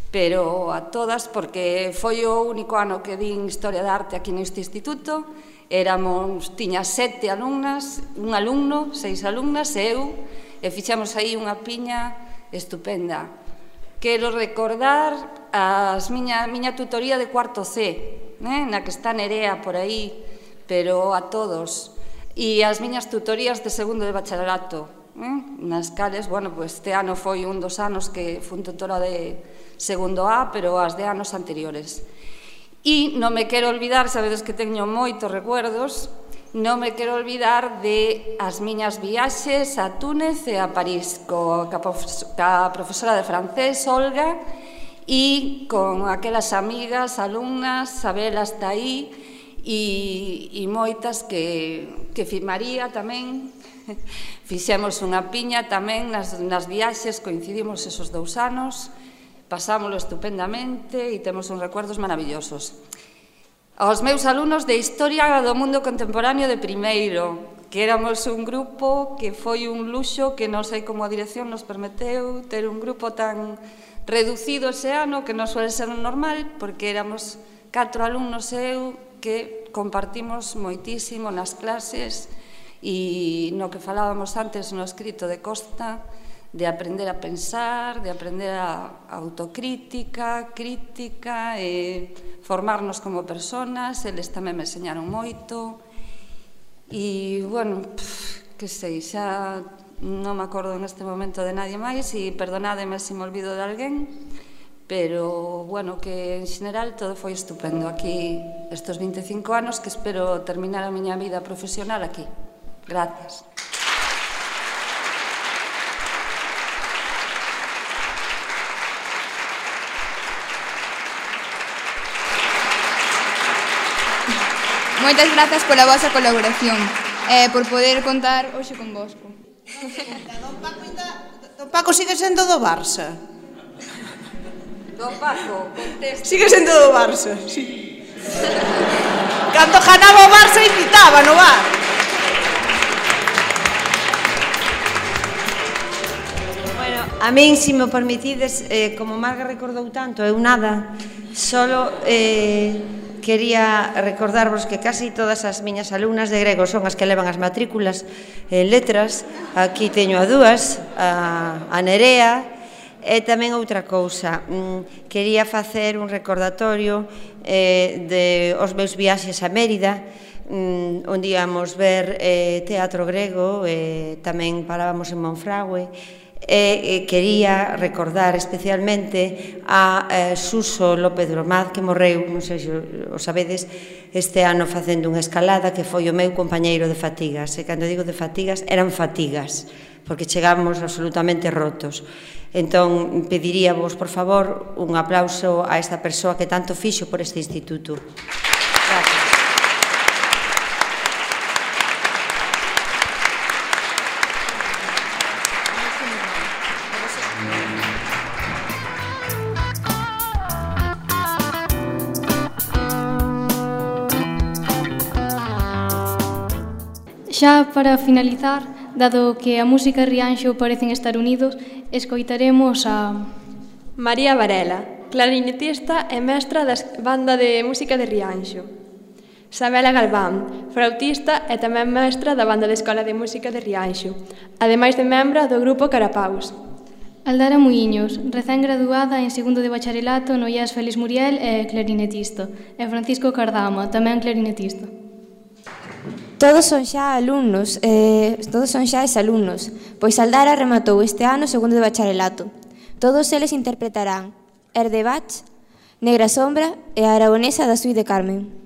pero a todas, porque foi o único ano que din Historia de Arte aquí neste instituto. Éramos, tiña sete alumnas, un alumno, seis alumnas e eu, e fixamos aí unha piña estupenda. Quero recordar as miña, miña tutoría de cuarto C, né, na que está Nerea por aí, pero a todos, e as miñas tutorías de segundo de bacharelato, eh? nas cales, bueno, pues este ano foi un dos anos que fui tutora de segundo A, pero as de anos anteriores. E non me quero olvidar, sabedes que teño moitos recuerdos, non me quero olvidar de as miñas viaxes a Túnez e a París, co, ca profesora de francés, Olga, e con aquelas amigas, alumnas, Sabel hasta aí, e, e moitas que, que María tamén. Fixemos unha piña tamén nas, nas viaxes, coincidimos esos dous anos, pasámoslo estupendamente e temos uns recuerdos maravillosos. Aos meus alumnos de Historia do Mundo Contemporáneo de primeiro, que éramos un grupo que foi un luxo que non sei como a dirección nos permeteu ter un grupo tan reducido ese ano, que non suele ser normal, porque éramos catro alumnos e eu que compartimos moitísimo nas clases e no que falábamos antes no escrito de Costa, de aprender a pensar, de aprender a autocrítica, crítica, e formarnos como personas. Eles tamén me enseñaron moito. E, bueno, pff, que sei, xa non me acordo neste momento de nadie máis, e perdonádeme se me olvido de alguén, pero, bueno, que en xeral todo foi estupendo aquí estes vinte e cinco anos, que espero terminar a miña vida profesional aquí. Gracias. Moitas grazas pola vosa colaboración e eh, por poder contar hoxe con vosco. Don Paco sigue sendo do Barça. Don Paco, contesta. Sigue sendo do Barça, sí. Cando ganaba o Barça invitaba no bar. Bueno, a min, se me permitides, eh, como Marga recordou tanto, eu nada, solo eh, quería recordarvos que casi todas as miñas alumnas de grego son as que levan as matrículas en letras. Aquí teño a dúas, a, a Nerea. E tamén outra cousa, quería facer un recordatorio eh, de os meus viaxes a Mérida, onde íamos ver eh, teatro grego, eh, tamén parábamos en Monfragüe, e quería recordar especialmente a eh, Suso López Bromaz, que morreu, non sei se o sabedes, este ano facendo unha escalada, que foi o meu compañeiro de fatigas, e cando digo de fatigas, eran fatigas, porque chegamos absolutamente rotos. Entón, pediríavos, por favor, un aplauso a esta persoa que tanto fixo por este instituto. Gracias. Xa para finalizar, dado que a música e Rianxo parecen estar unidos, escoitaremos a... María Varela, clarinetista e mestra da banda de música de Rianxo. Sabela Galván, flautista e tamén mestra da banda de escola de música de Rianxo, ademais de membra do grupo Carapaus. Aldara Muiños, recén graduada en segundo de bacharelato no I A S Félix Muriel e clarinetista. E Francisco Cardama, tamén clarinetista. Todos son xa alumnos, eh, todos son xa exalumnos, pois Aldara rematou este ano segundo de bacharelato. Todos eles interpretarán Erdebach, Negra Sombra e a aragonesa da Suite de Carmen.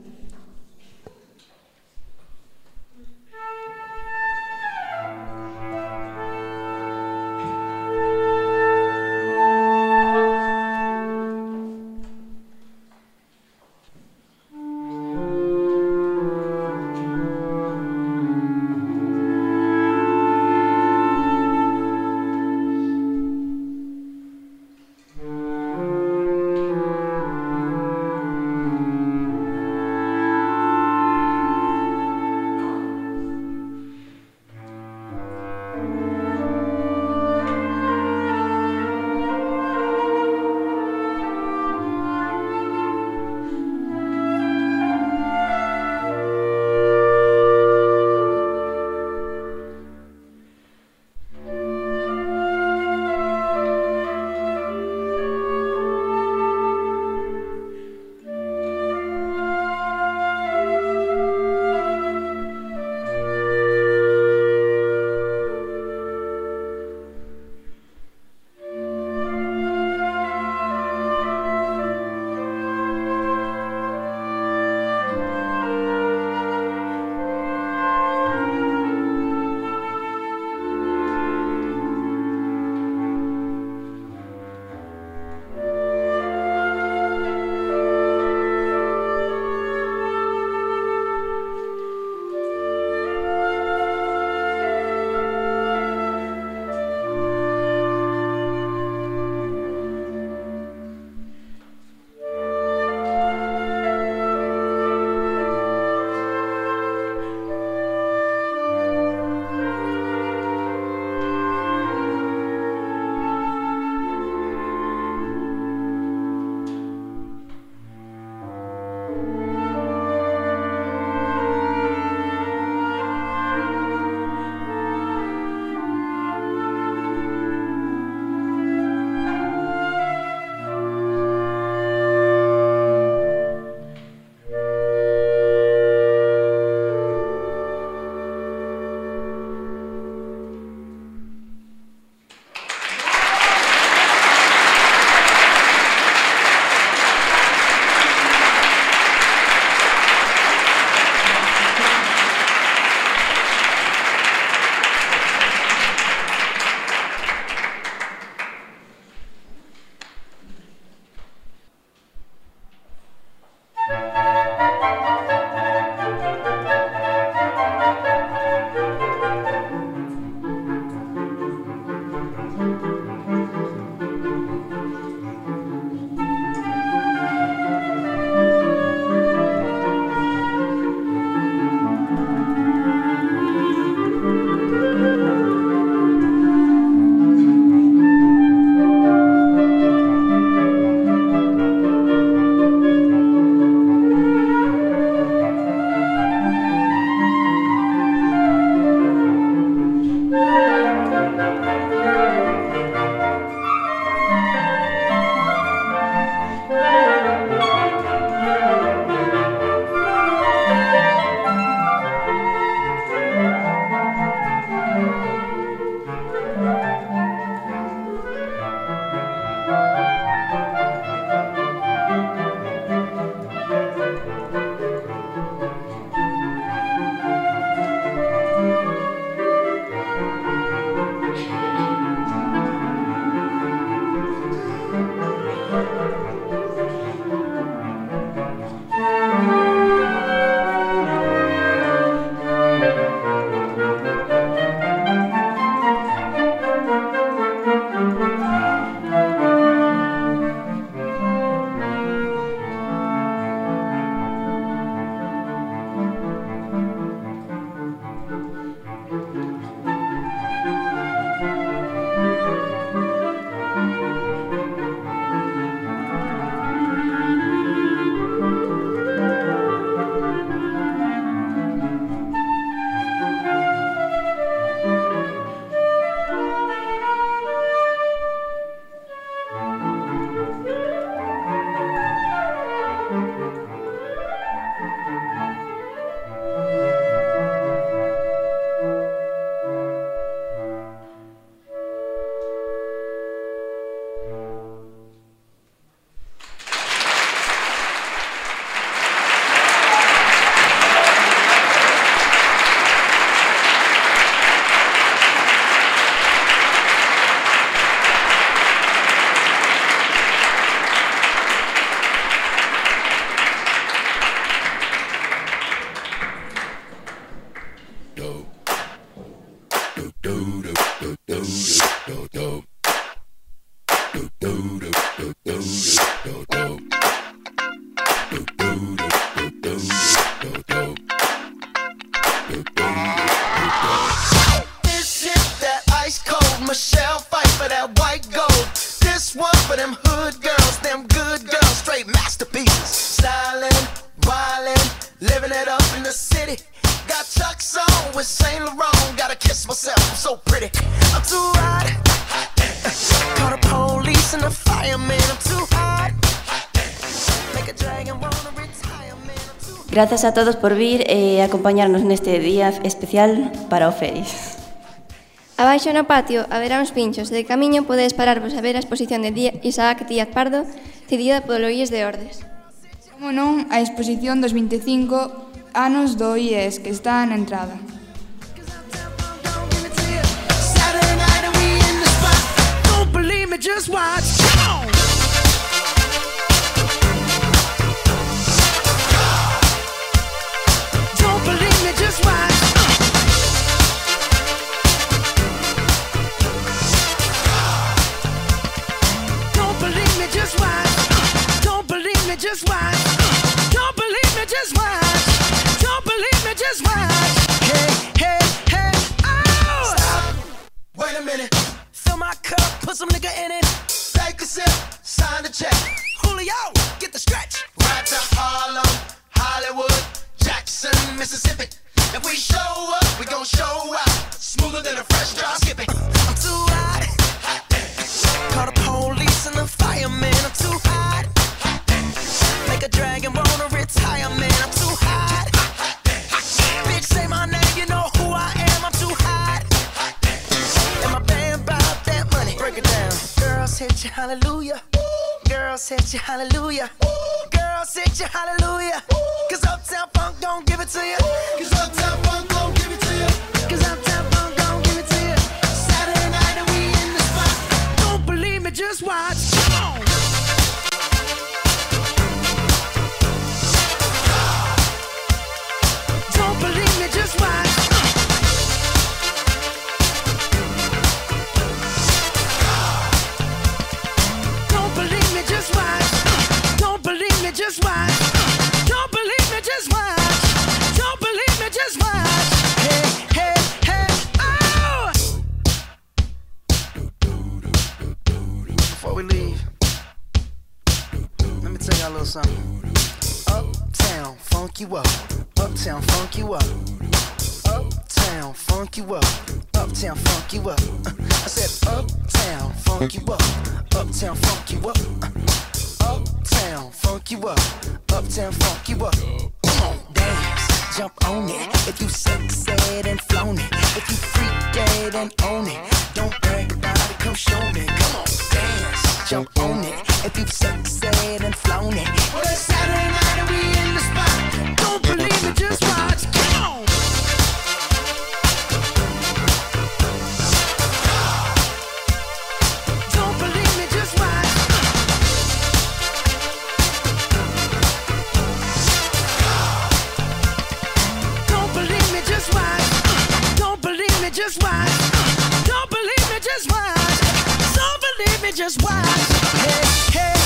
This hit that ice cold Michelle fight for that white gold. This one for them hood girls, them good girls, straight masterpieces. Stylin', wildin', living it up in the city. Got Chuck's on with Saint Laurent. Gotta kiss myself, I'm so pretty. I'm too hot. Call the police and the fireman. I'm too hot. Make a dragon wanna retire, man. I'm too hot. Grazas a todos por vir e acompañarnos neste día especial para o Feris. Abaixo no patio haberá uns pinchos. De camiño podedes pararvos a ver a exposición de Isaac Díaz Pardo, cedida polo I E S de Ordes. Como non, a exposición dos vinte e cinco anos do I E S, que está na entrada. Just watch, come on. Don't believe me, just watch. Don't believe me, just watch. Don't believe me, just watch. Don't believe me, just watch. Don't believe me, just watch. Hey, hey, hey, oh! Stop. Wait a minute. Fill my cup, put some nigga in it. Take a sip, sign the check. Julio, get the stretch. Right to Harlem, Hollywood, Jackson, Mississippi. If we show up, we gon' show out. Smoother than a fresh drop skipping. I'm too hot. Call the police and the fireman. I'm too hot. Make a dragon wanna retire, man. I'm too hot. Bitch, say my name, you know who I am. I'm too hot. And my band bout that money. Break it down. Girls hit you, hallelujah. Girls hit you, hallelujah. Girls hit you, hallelujah. Cause Uptown Funk don't give it to you. Cause Uptown Funk don't give it to you. Cause Uptown Funk don't give it to you. Saturday night and we in the spot. Don't believe me, just watch. Come on. Don't believe me, just watch. Don't believe me, just watch. Don't believe me, just watch. Don't believe me, just watch. Don't believe me, just watch. Hey, hey, hey, oh! Before we leave, let me tell y'all a little something. Uptown, funk you up. Uptown, funk you up. Uptown, funk you up. Uptown, funk you up. I said uptown, funk you up. Uptown, funk you up. Uptown, funk you up. Uptown, funk you up. Come on, dance, jump on it. If you sexed and flown it. If you freaked dead and own it. Don't brag about it, come show me. Come on, dance, jump on it. If you sexed and flown it. Well, it's Saturday night and we in the spot. Don't believe me, just watch. Come on. Don't believe me, just watch. Don't believe me, just watch. Don't believe me, just watch. Don't believe me, just watch. Don't believe me, just watch. Hey, hey.